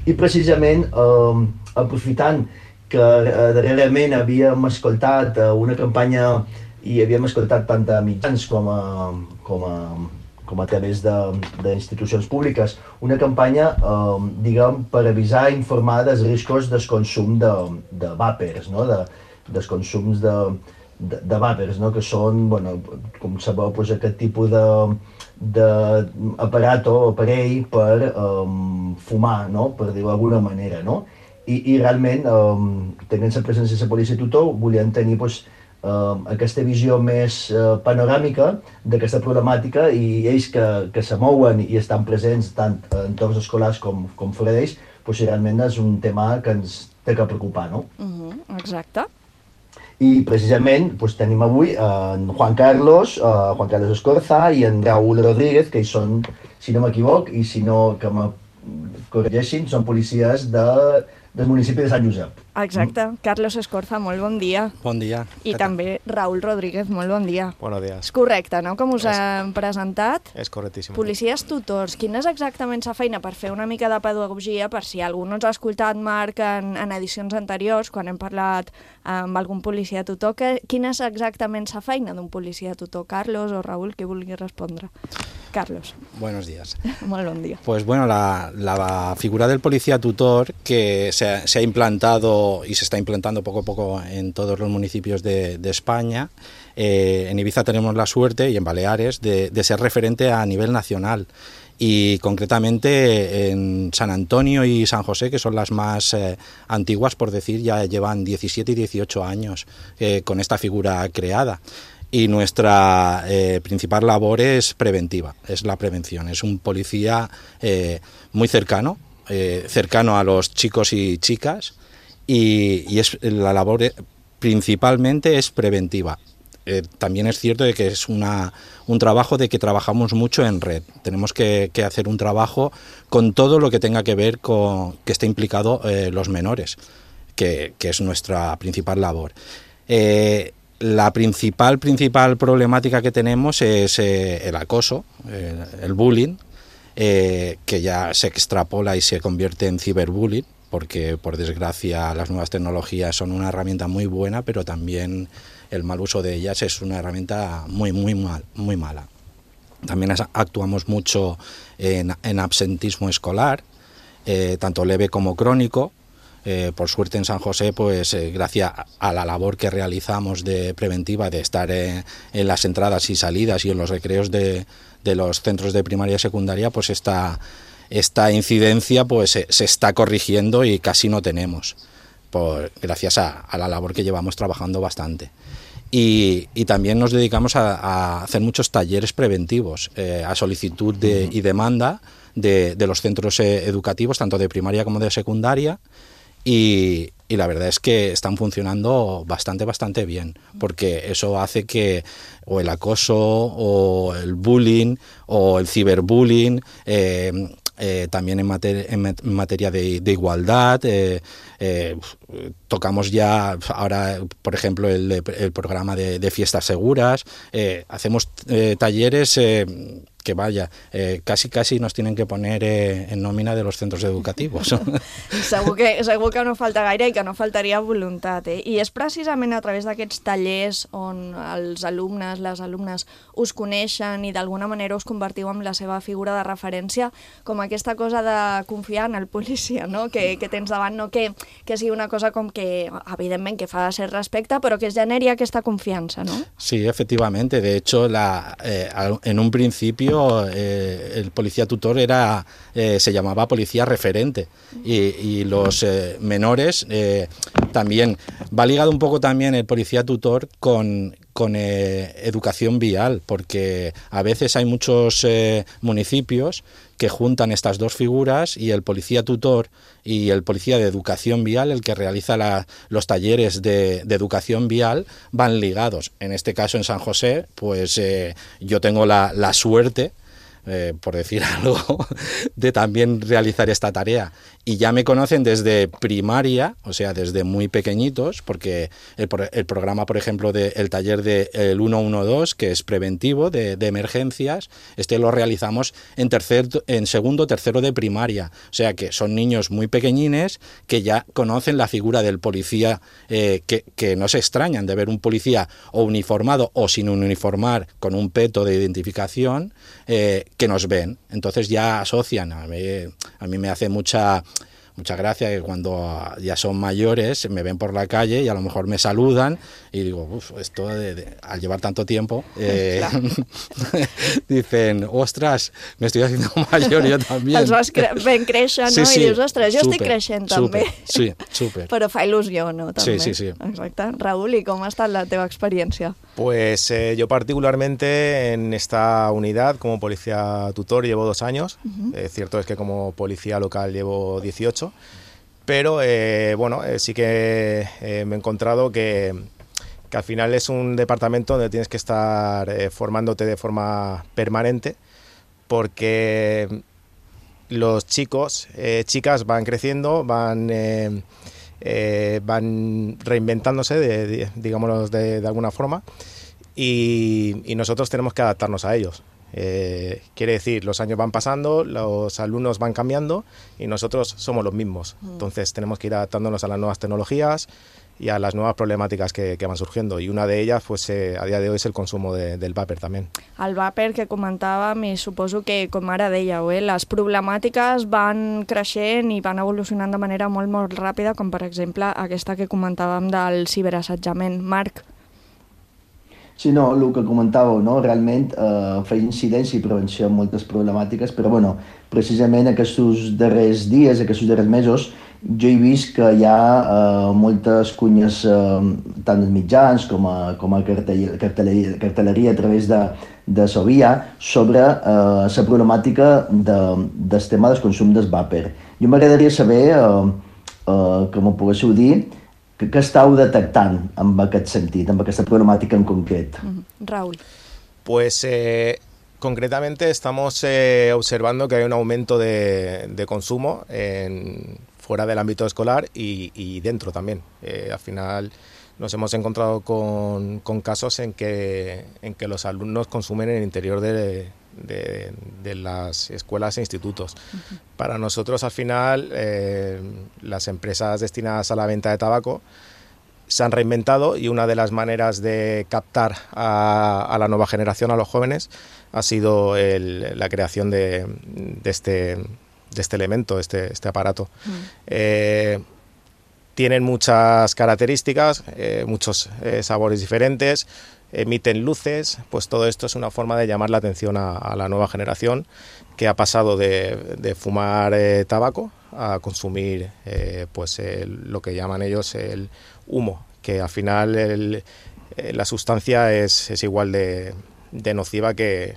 I precisament, uh, aprofitant que uh, darrerament havíem escoltat uh, una campanya i havíem escoltat tant a mitjans com a, com a com a través d'institucions públiques, una campanya, eh, diguem, per avisar i informar dels riscos del consum de, de vàpers, no? de, dels consums de, de, de vàpers, no? Que són, bueno, com sabeu, doncs, aquest tipus de, d'aparato o aparell per um, fumar, no? Per dir-ho d'alguna manera, no? I, i realment, um, tenint la presència de la policia tutor, volien tenir pues, uh, aquesta visió més uh, panoràmica d'aquesta problemàtica, i ells que, que se mouen i estan presents tant en entorns escolars com, com fora d'ells, pues, realment és un tema que ens té que preocupar, no? Uh-huh, exacte. I precisament pues, tenim avui en Juan Carlos, uh, Juan Carlos Escorza i en Raúl Rodríguez, que són, si no m'equivoc, i si no que me corregeixin, són policies de, del municipi de Sant Josep. Exacte. Mm. Carlos Escorza, molt bon dia. Bon dia. I també Raúl Rodríguez, molt bon dia. Buenos días. És correcte, no?, com us és, hem presentat. És correctíssim. Policies tutors. Quina és exactament la feina, per fer una mica de pedagogia, per si algú no ens ha escoltat, Marc, en, en edicions anteriors, quan hem parlat amb algun policia tutor, que, quina és exactament la feina d'un policia tutor? Carlos o Raúl, qui vulgui respondre. Carlos. Buenos días. Molt bon dia. Pues bueno, la, la figura del policía tutor que se ha, se ha implantado y se está implantando poco a poco en todos los municipios de, de España. Eh, en Ibiza tenemos la suerte, y en Baleares, de, de ser referente a nivel nacional. Y concretamente en San Antonio y San José, que son las más eh, antiguas, por decir, ya llevan diecisiete y dieciocho años eh, con esta figura creada. Y nuestra eh, principal labor es preventiva, es la prevención. Es un policía eh, muy cercano, eh, cercano a los chicos y chicas, y, y es, la labor principalmente es preventiva. Eh, también es cierto de que es una, un trabajo de que trabajamos mucho en red. Tenemos que, que hacer un trabajo con todo lo que tenga que ver con que esté implicado eh, los menores, que, que es nuestra principal labor. Eh, la principal, principal problemática que tenemos es eh, el acoso, eh, el bullying, eh, que ya se extrapola y se convierte en ciberbullying, porque por desgracia las nuevas tecnologías son una herramienta muy buena, pero también el mal uso de ellas es una herramienta muy, muy, mal, muy mala. También actuamos mucho en, en absentismo escolar, eh, tanto leve como crónico. Eh, por suerte en San José, pues eh, gracias a la labor que realizamos de preventiva, de estar eh, en las entradas y salidas y en los recreos de, de los centros de primaria y secundaria, pues esta, esta incidencia pues se, se está corrigiendo y casi no tenemos, por, gracias a, a la labor que llevamos trabajando bastante. Y, y también nos dedicamos a, a hacer muchos talleres preventivos, eh, a solicitud de, y demanda de, de los centros eh, educativos, tanto de primaria como de secundaria, y, y la verdad es que están funcionando bastante, bastante bien, porque eso hace que o el acoso o el bullying o el ciberbullying, eh, eh, también en, mater en materia de, de igualdad, eh, eh, tocamos ya ahora, por ejemplo, el, el programa de, de fiestas seguras, eh, hacemos eh, talleres eh, que vaya, eh, casi casi nos tienen que poner eh, en nómina de los centros educativos. segur, que, segur que no falta gaire i que no faltaria voluntat. Eh? I és precisament a través d'aquests tallers on els alumnes, les alumnes, us coneixen i d'alguna manera us convertiu en la seva figura de referència, com aquesta cosa de confiar en el policia, no? que, que tens davant, no que, que sigui una cosa com que, evidentment, que fa ser respecte, però que es generi aquesta confiança, ¿no? Sí, efectivamente. De hecho, la, eh, en un principio Eh, el policía tutor era eh, se llamaba policía referente y, y los eh, menores eh, también va ligado un poco también el policía tutor con con eh, educación vial, porque a veces hay muchos eh, municipios que juntan estas dos figuras y el policía tutor y el policía de educación vial, el que realiza la, los talleres de, de educación vial, van ligados. En este caso en San José, pues eh, yo tengo la, la suerte, Eh, por decir algo, de también realizar esta tarea. Y ya me conocen desde primaria, o sea, desde muy pequeñitos, porque el, el programa, por ejemplo, del de, taller del de, uno uno dos, que es preventivo de, de emergencias, este lo realizamos en, tercer, en segundo, tercero de primaria. O sea, que son niños muy pequeñines que ya conocen la figura del policía, eh, que, que no se extrañan de ver un policía o uniformado o sin uniformar, con un peto de identificación, eh, que nos ven, entonces ya asocian. A mí, a mí me hace mucha mucha gracia que cuando ya son mayores me ven por la calle y a lo mejor me saludan y digo, uff, esto de, de, al llevar tanto tiempo, eh, dicen, ostras, me estoy haciendo mayor yo también. Els vas cre ben créixer, no? Sí, sí, I dius, ostres, jo super, estic creixent també. Sí, súper. Però fa il·lusió, no? També. Sí, sí, sí. Exacte. Raúl, ¿y cómo ha estat la teva experiencia? Pues eh, yo particularmente en esta unidad como policía tutor llevo dos años. Uh-huh. eh, cierto es que como policía local llevo dieciocho, pero eh, bueno, eh, sí que eh, me he encontrado que, que al final es un departamento donde tienes que estar eh, formándote de forma permanente, porque los chicos, eh, chicas van creciendo, van... Eh, Eh, van reinventándose, de, de, digámoslo de, de alguna forma, y, y nosotros tenemos que adaptarnos a ellos. Eh, quiere decir, los años van pasando, los alumnos van cambiando y nosotros somos los mismos. Entonces tenemos que ir adaptándonos a las nuevas tecnologías y a las nuevas problemàtiques que, que van surgiendo, y una de ellas pues eh, a día de hoy es el consumo de, del vàper també. El vàper que comentàvem, i suposo que, com ara dèieu, eh, les problemàtiques van creixent i van evolucionant de manera molt, molt ràpida, com per exemple aquesta que comentàvem del ciberassetjament. Marc? Sí, no, el que comentàveu, no? Realment eh, feia incidència i prevenció en moltes problemàtiques, però bueno, precisament aquests darrers dies, aquests darrers mesos, jo he vist que hi ha eh, moltes cunyes, eh, tant als mitjans com a, com a cartelleria, cartelleria, cartelleria a través de, de Sovia, sobre eh, la problemàtica de, del tema del consum del vàper. Jo m'agradaria saber, eh, eh, que m'ho poguéssiu dir, que, que estàu detectant en aquest sentit, en aquesta problemàtica en concret. Mm-hmm. Raúl. Pues eh, concretamente estamos eh, observando que hay un aumento de, de consumo en, fuera del ámbito escolar y, y dentro también. Eh, al final nos hemos encontrado con, con casos en que, en que los alumnos consumen en el interior de, de, de las escuelas e institutos. Uh-huh. Para nosotros, al final, eh, las empresas destinadas a la venta de tabaco se han reinventado, y una de las maneras de captar a, a la nueva generación, a los jóvenes, ha sido el, la creación de, de, este, de este elemento, este, este aparato. Uh-huh. Eh, tienen muchas características, eh, muchos eh, sabores diferentes, emiten luces, pues todo esto es una forma de llamar la atención a, a la nueva generación, que ha pasado de, de fumar eh, tabaco a consumir eh, pues el, lo que llaman ellos el humo, que al final el, eh, la sustancia es, es igual de, de nociva que,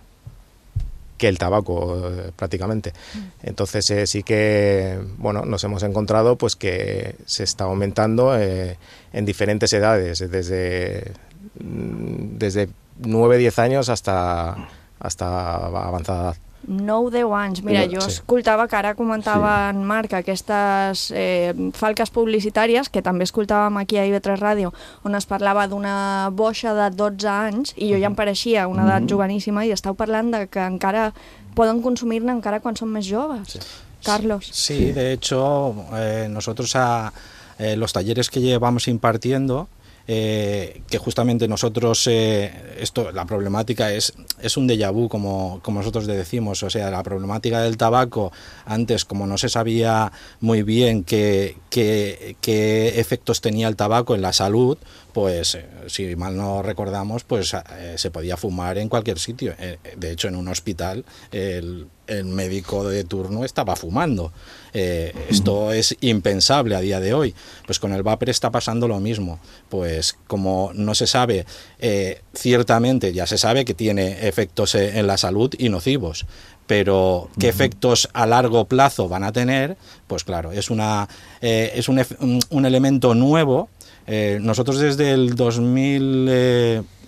que el tabaco eh, prácticamente. Entonces eh, sí que bueno, nos hemos encontrado pues que se está aumentando eh, en diferentes edades, desde desde nueve a diez años hasta, hasta avanzada edad. nou a deu anys. Mira, jo sí. escoltava que ara comentava sí. en Marc aquestes eh, falques publicitàries, que també escoltàvem aquí a I V tres Ràdio, on es parlava d'una boixa de dotze anys, i jo ja em pareixia una edat mm-hmm. joveníssima, i estàu parlant de que encara poden consumir-ne encara quan són més joves. Sí. Carlos. Sí, de hecho, eh, nosotros a eh, los talleres que llevamos impartiendo, Eh, que justamente nosotros, eh, esto, la problemática es, es un déjà vu, como, como nosotros le decimos, o sea, la problemática del tabaco, antes como no se sabía muy bien qué, qué, qué efectos tenía el tabaco en la salud, pues eh, si mal no recordamos, pues eh, se podía fumar en cualquier sitio. Eh, de hecho, en un hospital el, el médico de turno estaba fumando. Eh, esto es impensable a día de hoy. Pues con el vapor está pasando lo mismo. Pues como no se sabe, eh, ciertamente ya se sabe que tiene efectos en la salud y nocivos, pero qué efectos a largo plazo van a tener, pues claro, es, una, eh, es un, un, un elemento nuevo. Eh, nosotros desde el dos mil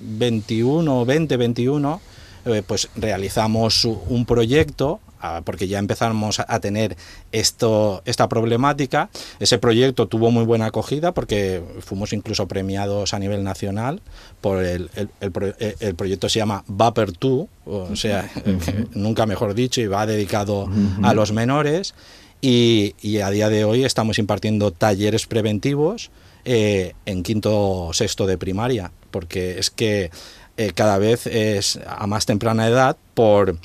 veintiuno, veinte veintiuno, eh, pues realizamos un proyecto, porque ya empezamos a tener esto, esta problemática. Ese proyecto tuvo muy buena acogida porque fuimos incluso premiados a nivel nacional por el, el, el, el proyecto se llama Vapor dos, o sea, nunca mejor dicho, y va dedicado a los menores, y, y a día de hoy estamos impartiendo talleres preventivos eh, en quinto sexto de primaria, porque es que eh, cada vez es a más temprana edad por...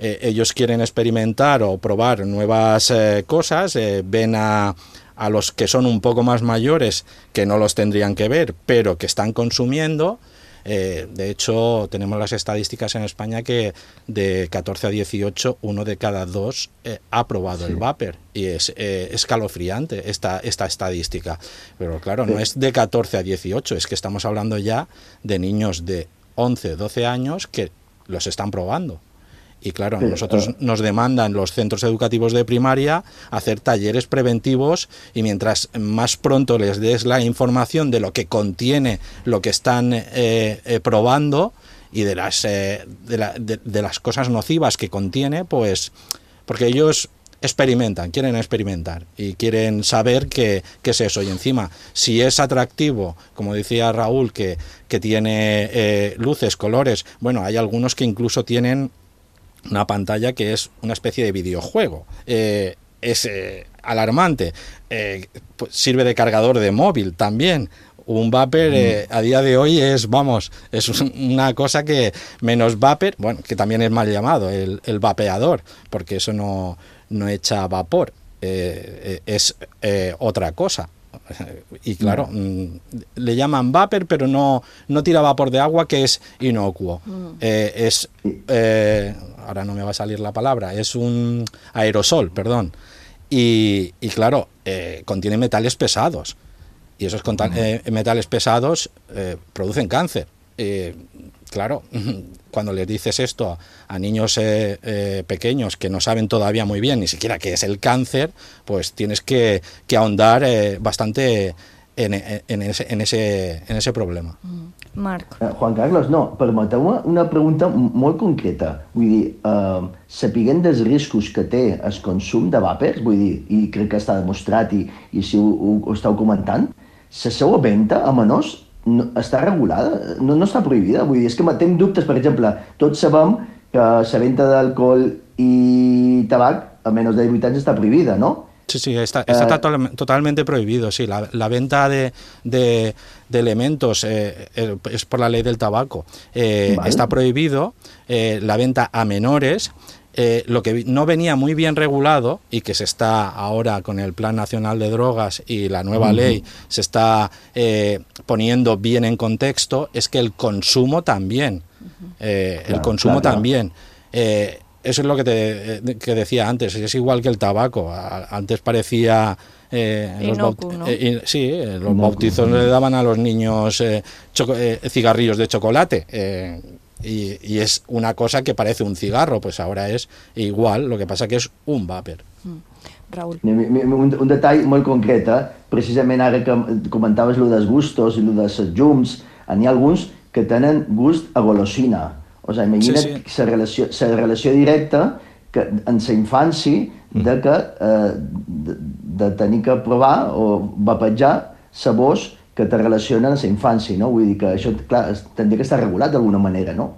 eh, ellos quieren experimentar o probar nuevas eh, cosas, eh, ven a, a los que son un poco más mayores, que no los tendrían que ver, pero que están consumiendo. Eh, de hecho, tenemos las estadísticas en España que de catorce a dieciocho, uno de cada dos eh, ha probado sí. el vapor, y es eh, escalofriante esta, esta estadística. Pero claro, sí. no es de catorce a dieciocho, es que estamos hablando ya de niños de once, doce años que los están probando. Y claro, sí, nosotros uh, nos demandan los centros educativos de primaria hacer talleres preventivos, y mientras más pronto les des la información de lo que contiene lo que están eh, eh, probando y de las, eh, de, la, de, de las cosas nocivas que contiene, pues porque ellos experimentan, quieren experimentar y quieren saber qué, qué es eso. Y encima, si es atractivo, como decía Raúl, que, que tiene eh, luces, colores, bueno, hay algunos que incluso tienen una pantalla que es una especie de videojuego. Eh, es eh, alarmante. Eh, pues sirve de cargador de móvil también. Un vapor eh, a día de hoy es, vamos, es una cosa que menos vapor, bueno, que también es mal llamado, el, el vapeador, porque eso no, no echa vapor, eh, es eh, otra cosa. Y claro, mm, le llaman vapor, pero no, no tira vapor de agua, que es inocuo. Mm. Eh, es, eh, ahora no me va a salir la palabra, es un aerosol, perdón. Y, y claro, eh, contiene metales pesados. Y esos mm. eh, metales pesados eh, producen cáncer. Eh, claro, cuando les dices esto a niños eh, eh, pequeños que no saben todavía muy bien ni siquiera qué es el cáncer, pues tienes que, que ahondar eh, bastante en, en, ese, en, ese, en ese problema. Marc. Uh, Juan Carlos, no, permeteu-me una pregunta molt concreta. Vull dir, uh, sapiguent dels riscos que té el consum de vapers, vull dir, i crec que està demostrat i, i si ho, ho, ho estàu comentant, la seva venda a menors no, està regulada, no, no està prohibida. Vull dir, és que tinc dubtes, per exemple, tots sabem que la venda d'alcohol i tabac a menys de divuit anys està prohibida, ¿no? Sí, sí, está, está uh, total, totalmente prohibido, sí. La, la venta de, de, de elementos eh, es por la ley del tabaco. Eh, vale. Está prohibido eh, la venta a menores. Eh, lo que no venía muy bien regulado y que se está ahora con el Plan Nacional de Drogas y la nueva uh-huh. ley se está eh, poniendo bien en contexto, es que el consumo también, eh, claro, el consumo claro, también. Eh, eso es lo que te que decía antes, es igual que el tabaco. Antes parecía eh, los Inocuo, ¿no? eh, sí, eh, los Inocuo. bautizos le daban a los niños eh, choco, eh, cigarrillos de chocolate. Eh, Y, y es una cosa que parece un cigarro, pues ahora es igual, lo que pasa que es un vapor. Mm. Raúl. Un, un detall molt concret, eh? Precisament ara que comentaves lo dels gustos i lo dels llums, n'hi ha alguns que tenen gust a golosina. O sigui, imagina't la sí, sí. relació, relació directa que, en la infància de, que, eh, de, de tenir que provar o vapejar sabors que te relacionen a la infància, ¿no? Vull dir que això, clar, tendría que estar regulado de alguna manera, ¿no?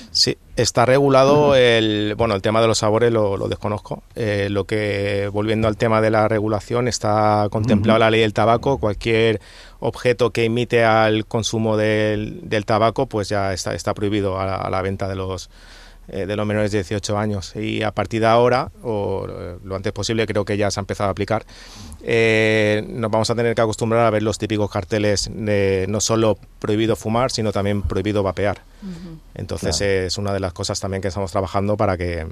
Sí, está regulado el, bueno, el tema de los sabores lo, lo desconozco. Eh, lo que, volviendo al tema de la regulación, está contemplado uh-huh. la ley del tabaco. Cualquier objeto que imite al consumo del, del tabaco, pues ya está, está prohibido a la, a la venta de los eh, de los menores de dieciocho años. Y a partir de ahora, o lo antes posible, creo que ya se ha empezado a aplicar, eh, nos vamos a tener que acostumbrar a ver los típicos carteles de no solo prohibido fumar, sino también prohibido vapear. Uh-huh. Entonces claro. es una de las cosas también que estamos trabajando para que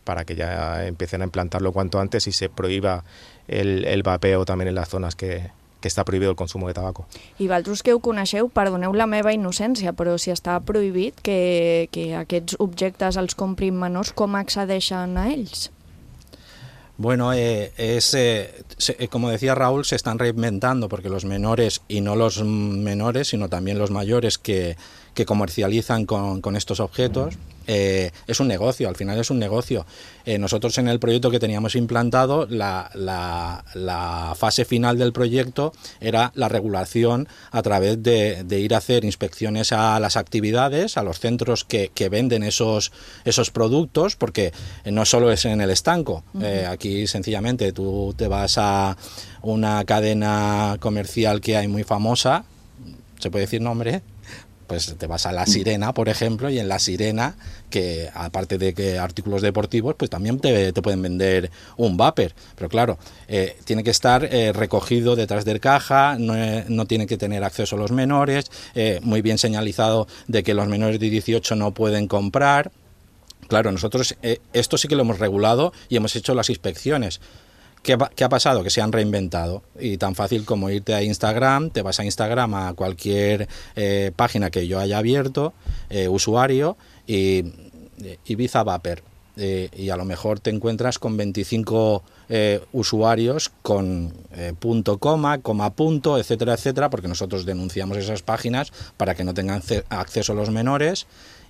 para que ya empiecen a implantarlo cuanto antes y se prohíba el, el vapeo también en las zonas que, que està prohibit el consum de tabaco. I vosaltres que ho coneixeu, perdoneu la meva innocència, però si està prohibit que, que aquests objectes els comprin menors, com accedeixen a ells? Bueno, eh, es eh, se, como decía Raúl, se están reinventando porque los menores, y no los menores, sino también los mayores que, que comercializan con, con estos objetos, eh, es un negocio, al final es un negocio. Eh, nosotros en el proyecto que teníamos implantado, la, la, la fase final del proyecto era la regulación a través de, de ir a hacer inspecciones a las actividades, a los centros que, que venden esos, esos productos, porque no solo es en el estanco. Uh-huh. Eh, aquí sencillamente tú te vas a una cadena comercial que hay muy famosa, ¿se puede decir nombre? pues te vas a La Sirena, por ejemplo, y en La Sirena, que aparte de que artículos deportivos, pues también te, te pueden vender un vapor. Pero claro, eh, tiene que estar eh, recogido detrás del caja, no, eh, no tiene que tener acceso a los menores, eh, muy bien señalizado de que los menores de dieciocho no pueden comprar. Claro, nosotros eh, esto sí que lo hemos regulado y hemos hecho las inspecciones. ¿Qué, ¿Qué ha pasado? Que se han reinventado, y tan fácil como irte a Instagram, te vas a Instagram a cualquier eh, página que yo haya abierto, eh, usuario, y Ibiza Vapor, eh, y a lo mejor te encuentras con veinticinco eh, usuarios con eh, punto, coma, coma, punto, etcétera, etcétera, porque nosotros denunciamos esas páginas para que no tengan acceso a los menores,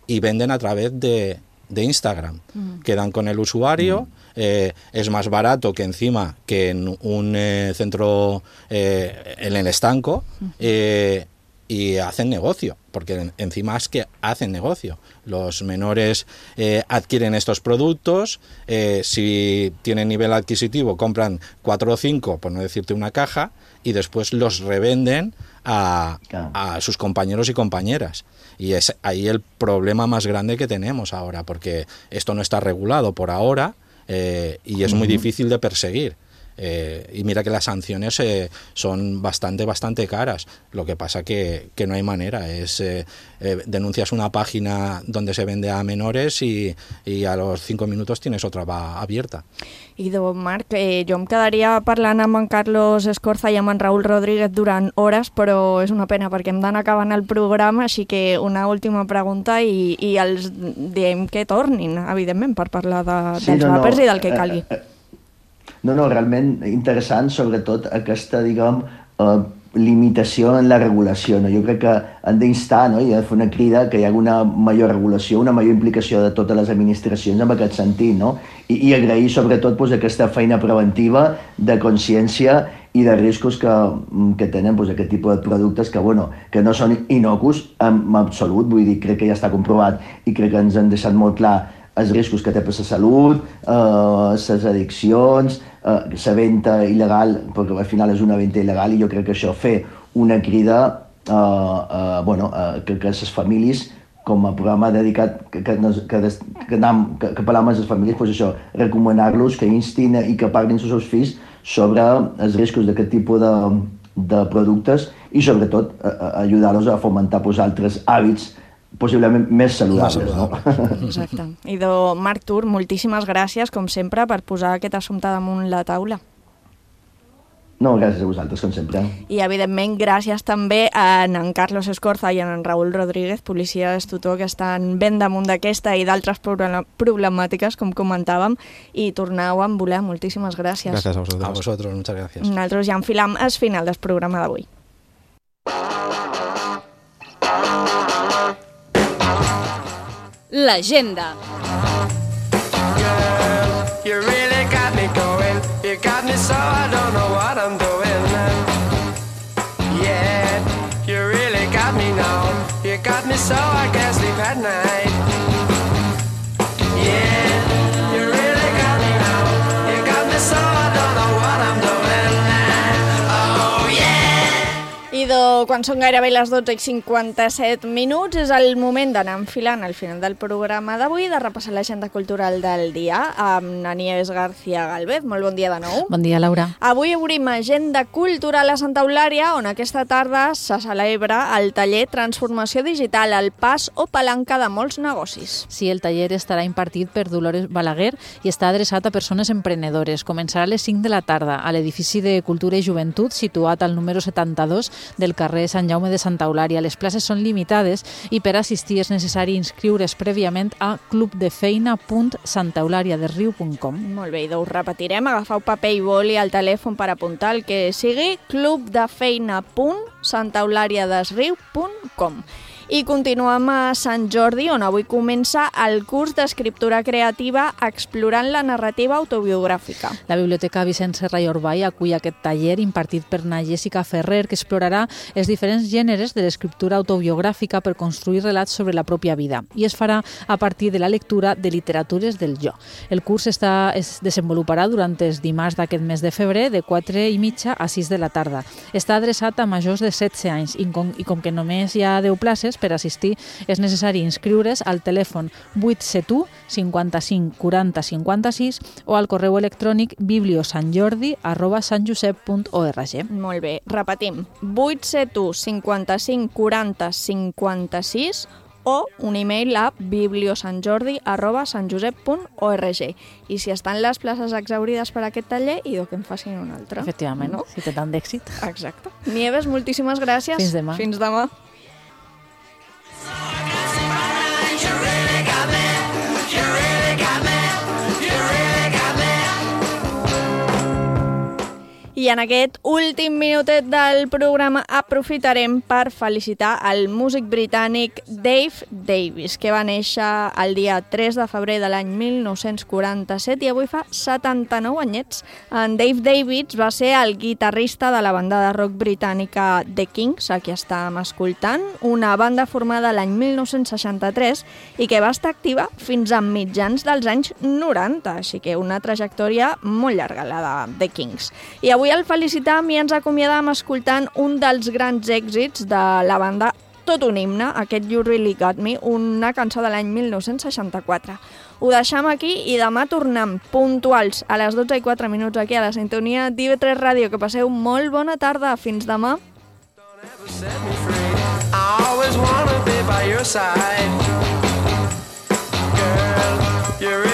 y venden a través de... de Instagram, mm. quedan con el usuario, mm. eh, es más barato que encima que en un eh, centro eh, en el estanco, mm. eh, y hacen negocio, porque en, encima es que hacen negocio. Los menores eh, adquieren estos productos, eh, si tienen nivel adquisitivo compran cuatro o cinco, por no decirte una caja, y después los revenden a, a sus compañeros y compañeras. Y es ahí el problema más grande que tenemos ahora, porque esto no está regulado por ahora, eh, y es muy difícil de perseguir. Eh, y mira que las sanciones eh, son bastante, bastante caras. Lo que pasa que, que no hay manera. Es eh, eh, denuncias una página donde se vende a menores y, y a los cinco minutos tienes otra va abierta. Idò, Marc, eh, jo em quedaria parlant amb en Carlos Escorza i amb en Raül Rodríguez durant hores, però és una pena perquè hem d'anar acabant el programa, així que una última pregunta i, i els diem que tornin, evidentment, per parlar de, sí, dels no, vapers no, i del que calgui. Eh, eh, No, no, realment interessant, sobretot aquesta, diguem, eh, limitació en la regulació. No? Jo crec que hem d'instar, no? I de fer una crida que hi hagi una major regulació, una major implicació de totes les administracions en aquest sentit, no? I, i agrair sobretot pues, aquesta feina preventiva de consciència i de riscos que, que tenen pues, aquest tipus de productes que, bueno, que no són inocus en absolut, vull dir, crec que ja està comprovat i crec que ens han deixat molt clar els riscos que té per la salut, les eh, addiccions, eh, la venda il·legal, perquè al final és una venda il·legal, i jo crec que això fer una crida eh, eh, bueno, eh, que, que les famílies, com a programa dedicat que, que, que, que, anem, que, que parlem amb les famílies, pues això, recomanar-los que instin i que parlin als seus fills sobre els riscos d'aquest tipus de, de productes i sobretot eh, ajudar-los a fomentar pues, altres hàbits possiblement més saludables, no? Exacte. Idò, Marc Tur, moltíssimes gràcies, com sempre, per posar aquest assumpte damunt la taula. No, gràcies a vosaltres, com sempre. I, evidentment, gràcies també a en Carlos Escorza i a en Raül Rodríguez, policies tutor, que estan ben damunt d'aquesta i d'altres problemàtiques, com comentàvem, i tornau a volar. Moltíssimes gràcies. Gràcies a vosaltres. A vosaltres, muchas gracias. Nosaltres ja enfilam el final del programa d'avui. L'agenda. You really got me going. You got me so I don't know what I'm doing. Yeah, you really got me now. You got me so I can't sleep at night. Yeah, you really got me now. You got me so I don't know what I'm doing. Oh yeah. Idò, quan són gairebé les dotze i cinquanta-set minuts, és el moment d'anar enfilant al final del programa d'avui, de repassar l'agenda cultural del dia amb Nieves García Galvez. Molt bon dia de nou. Bon dia, Laura. Avui obrim agenda cultural a Santa Eulària, on aquesta tarda se celebra el taller Transformació Digital, el pas o palanca de molts negocis. Sí, el taller estarà impartit per Dolores Balaguer i està adreçat a persones emprenedores. Començarà a les cinc de la tarda a l'edifici de Cultura i Joventut, situat al número setanta-dos del carrer Sant Jaume de Santa Eulària. Les places són limitades i per assistir és necessari inscriure's prèviament a clubdefeina punt santaeulariadesriu punt com. Molt bé, doncs repetirem, agafeu paper i boli al telèfon per apuntar el que sigui clubdefeina punt santaeulariadesriu punt com. I continuem a Sant Jordi, on avui comença el curs d'escriptura creativa explorant la narrativa autobiogràfica. La Biblioteca Vicent Serra i Orbay acull aquest taller impartit per na Jessica Ferrer, que explorarà els diferents gèneres de l'escriptura autobiogràfica per construir relats sobre la pròpia vida, i es farà a partir de la lectura de literatures del jo. El curs està, es desenvoluparà durant els dimarts d'aquest mes de febrer, de quatre i mitja a sis de la tarda. Està adreçat a majors de setze anys i com, i com que només hi ha deu places, disponibles. Per assistir és necessari inscriure's al telèfon vuit set u cinquanta-cinc quaranta cinquanta-sis o al correu electrònic bibliosantjordi arroba santjosep punt org. Molt bé, repetim, vuit set u cinquanta-cinc quaranta cinquanta-sis o un e-mail a bibliosantjordi arroba santjosep punt org. I si estan les places exaurides per aquest taller, idò que en facin un altre. Efectivament, no? Si té tant d'èxit. Exacte. Nieves, moltíssimes gràcies. Fins demà. Fins demà. I en aquest últim minutet del programa aprofitarem per felicitar el músic britànic Dave Davis, que va néixer el dia tres de febrer de l'any mil nou-cents quaranta-set i avui fa setanta-nou anyets. En Dave Davis va ser el guitarrista de la banda de rock britànica The Kinks, a qui estàvem escoltant, una banda formada l'any mil nou-cents seixanta-tres i que va estar activa fins a mitjans dels anys noranta, així que una trajectòria molt llarga, la de The Kinks. I avui el felicitam i ens acomiadam escoltant un dels grans èxits de la banda, tot un himne, aquest You Really Got Me, una cançó de l'any mil nou-cents seixanta-quatre. Ho deixam aquí i demà tornem puntuals a les dotze i quatre minuts aquí a la sintonia d'I V tres Ràdio. Que passeu molt bona tarda. Fins demà. I always wanna be by your side. Girl, you're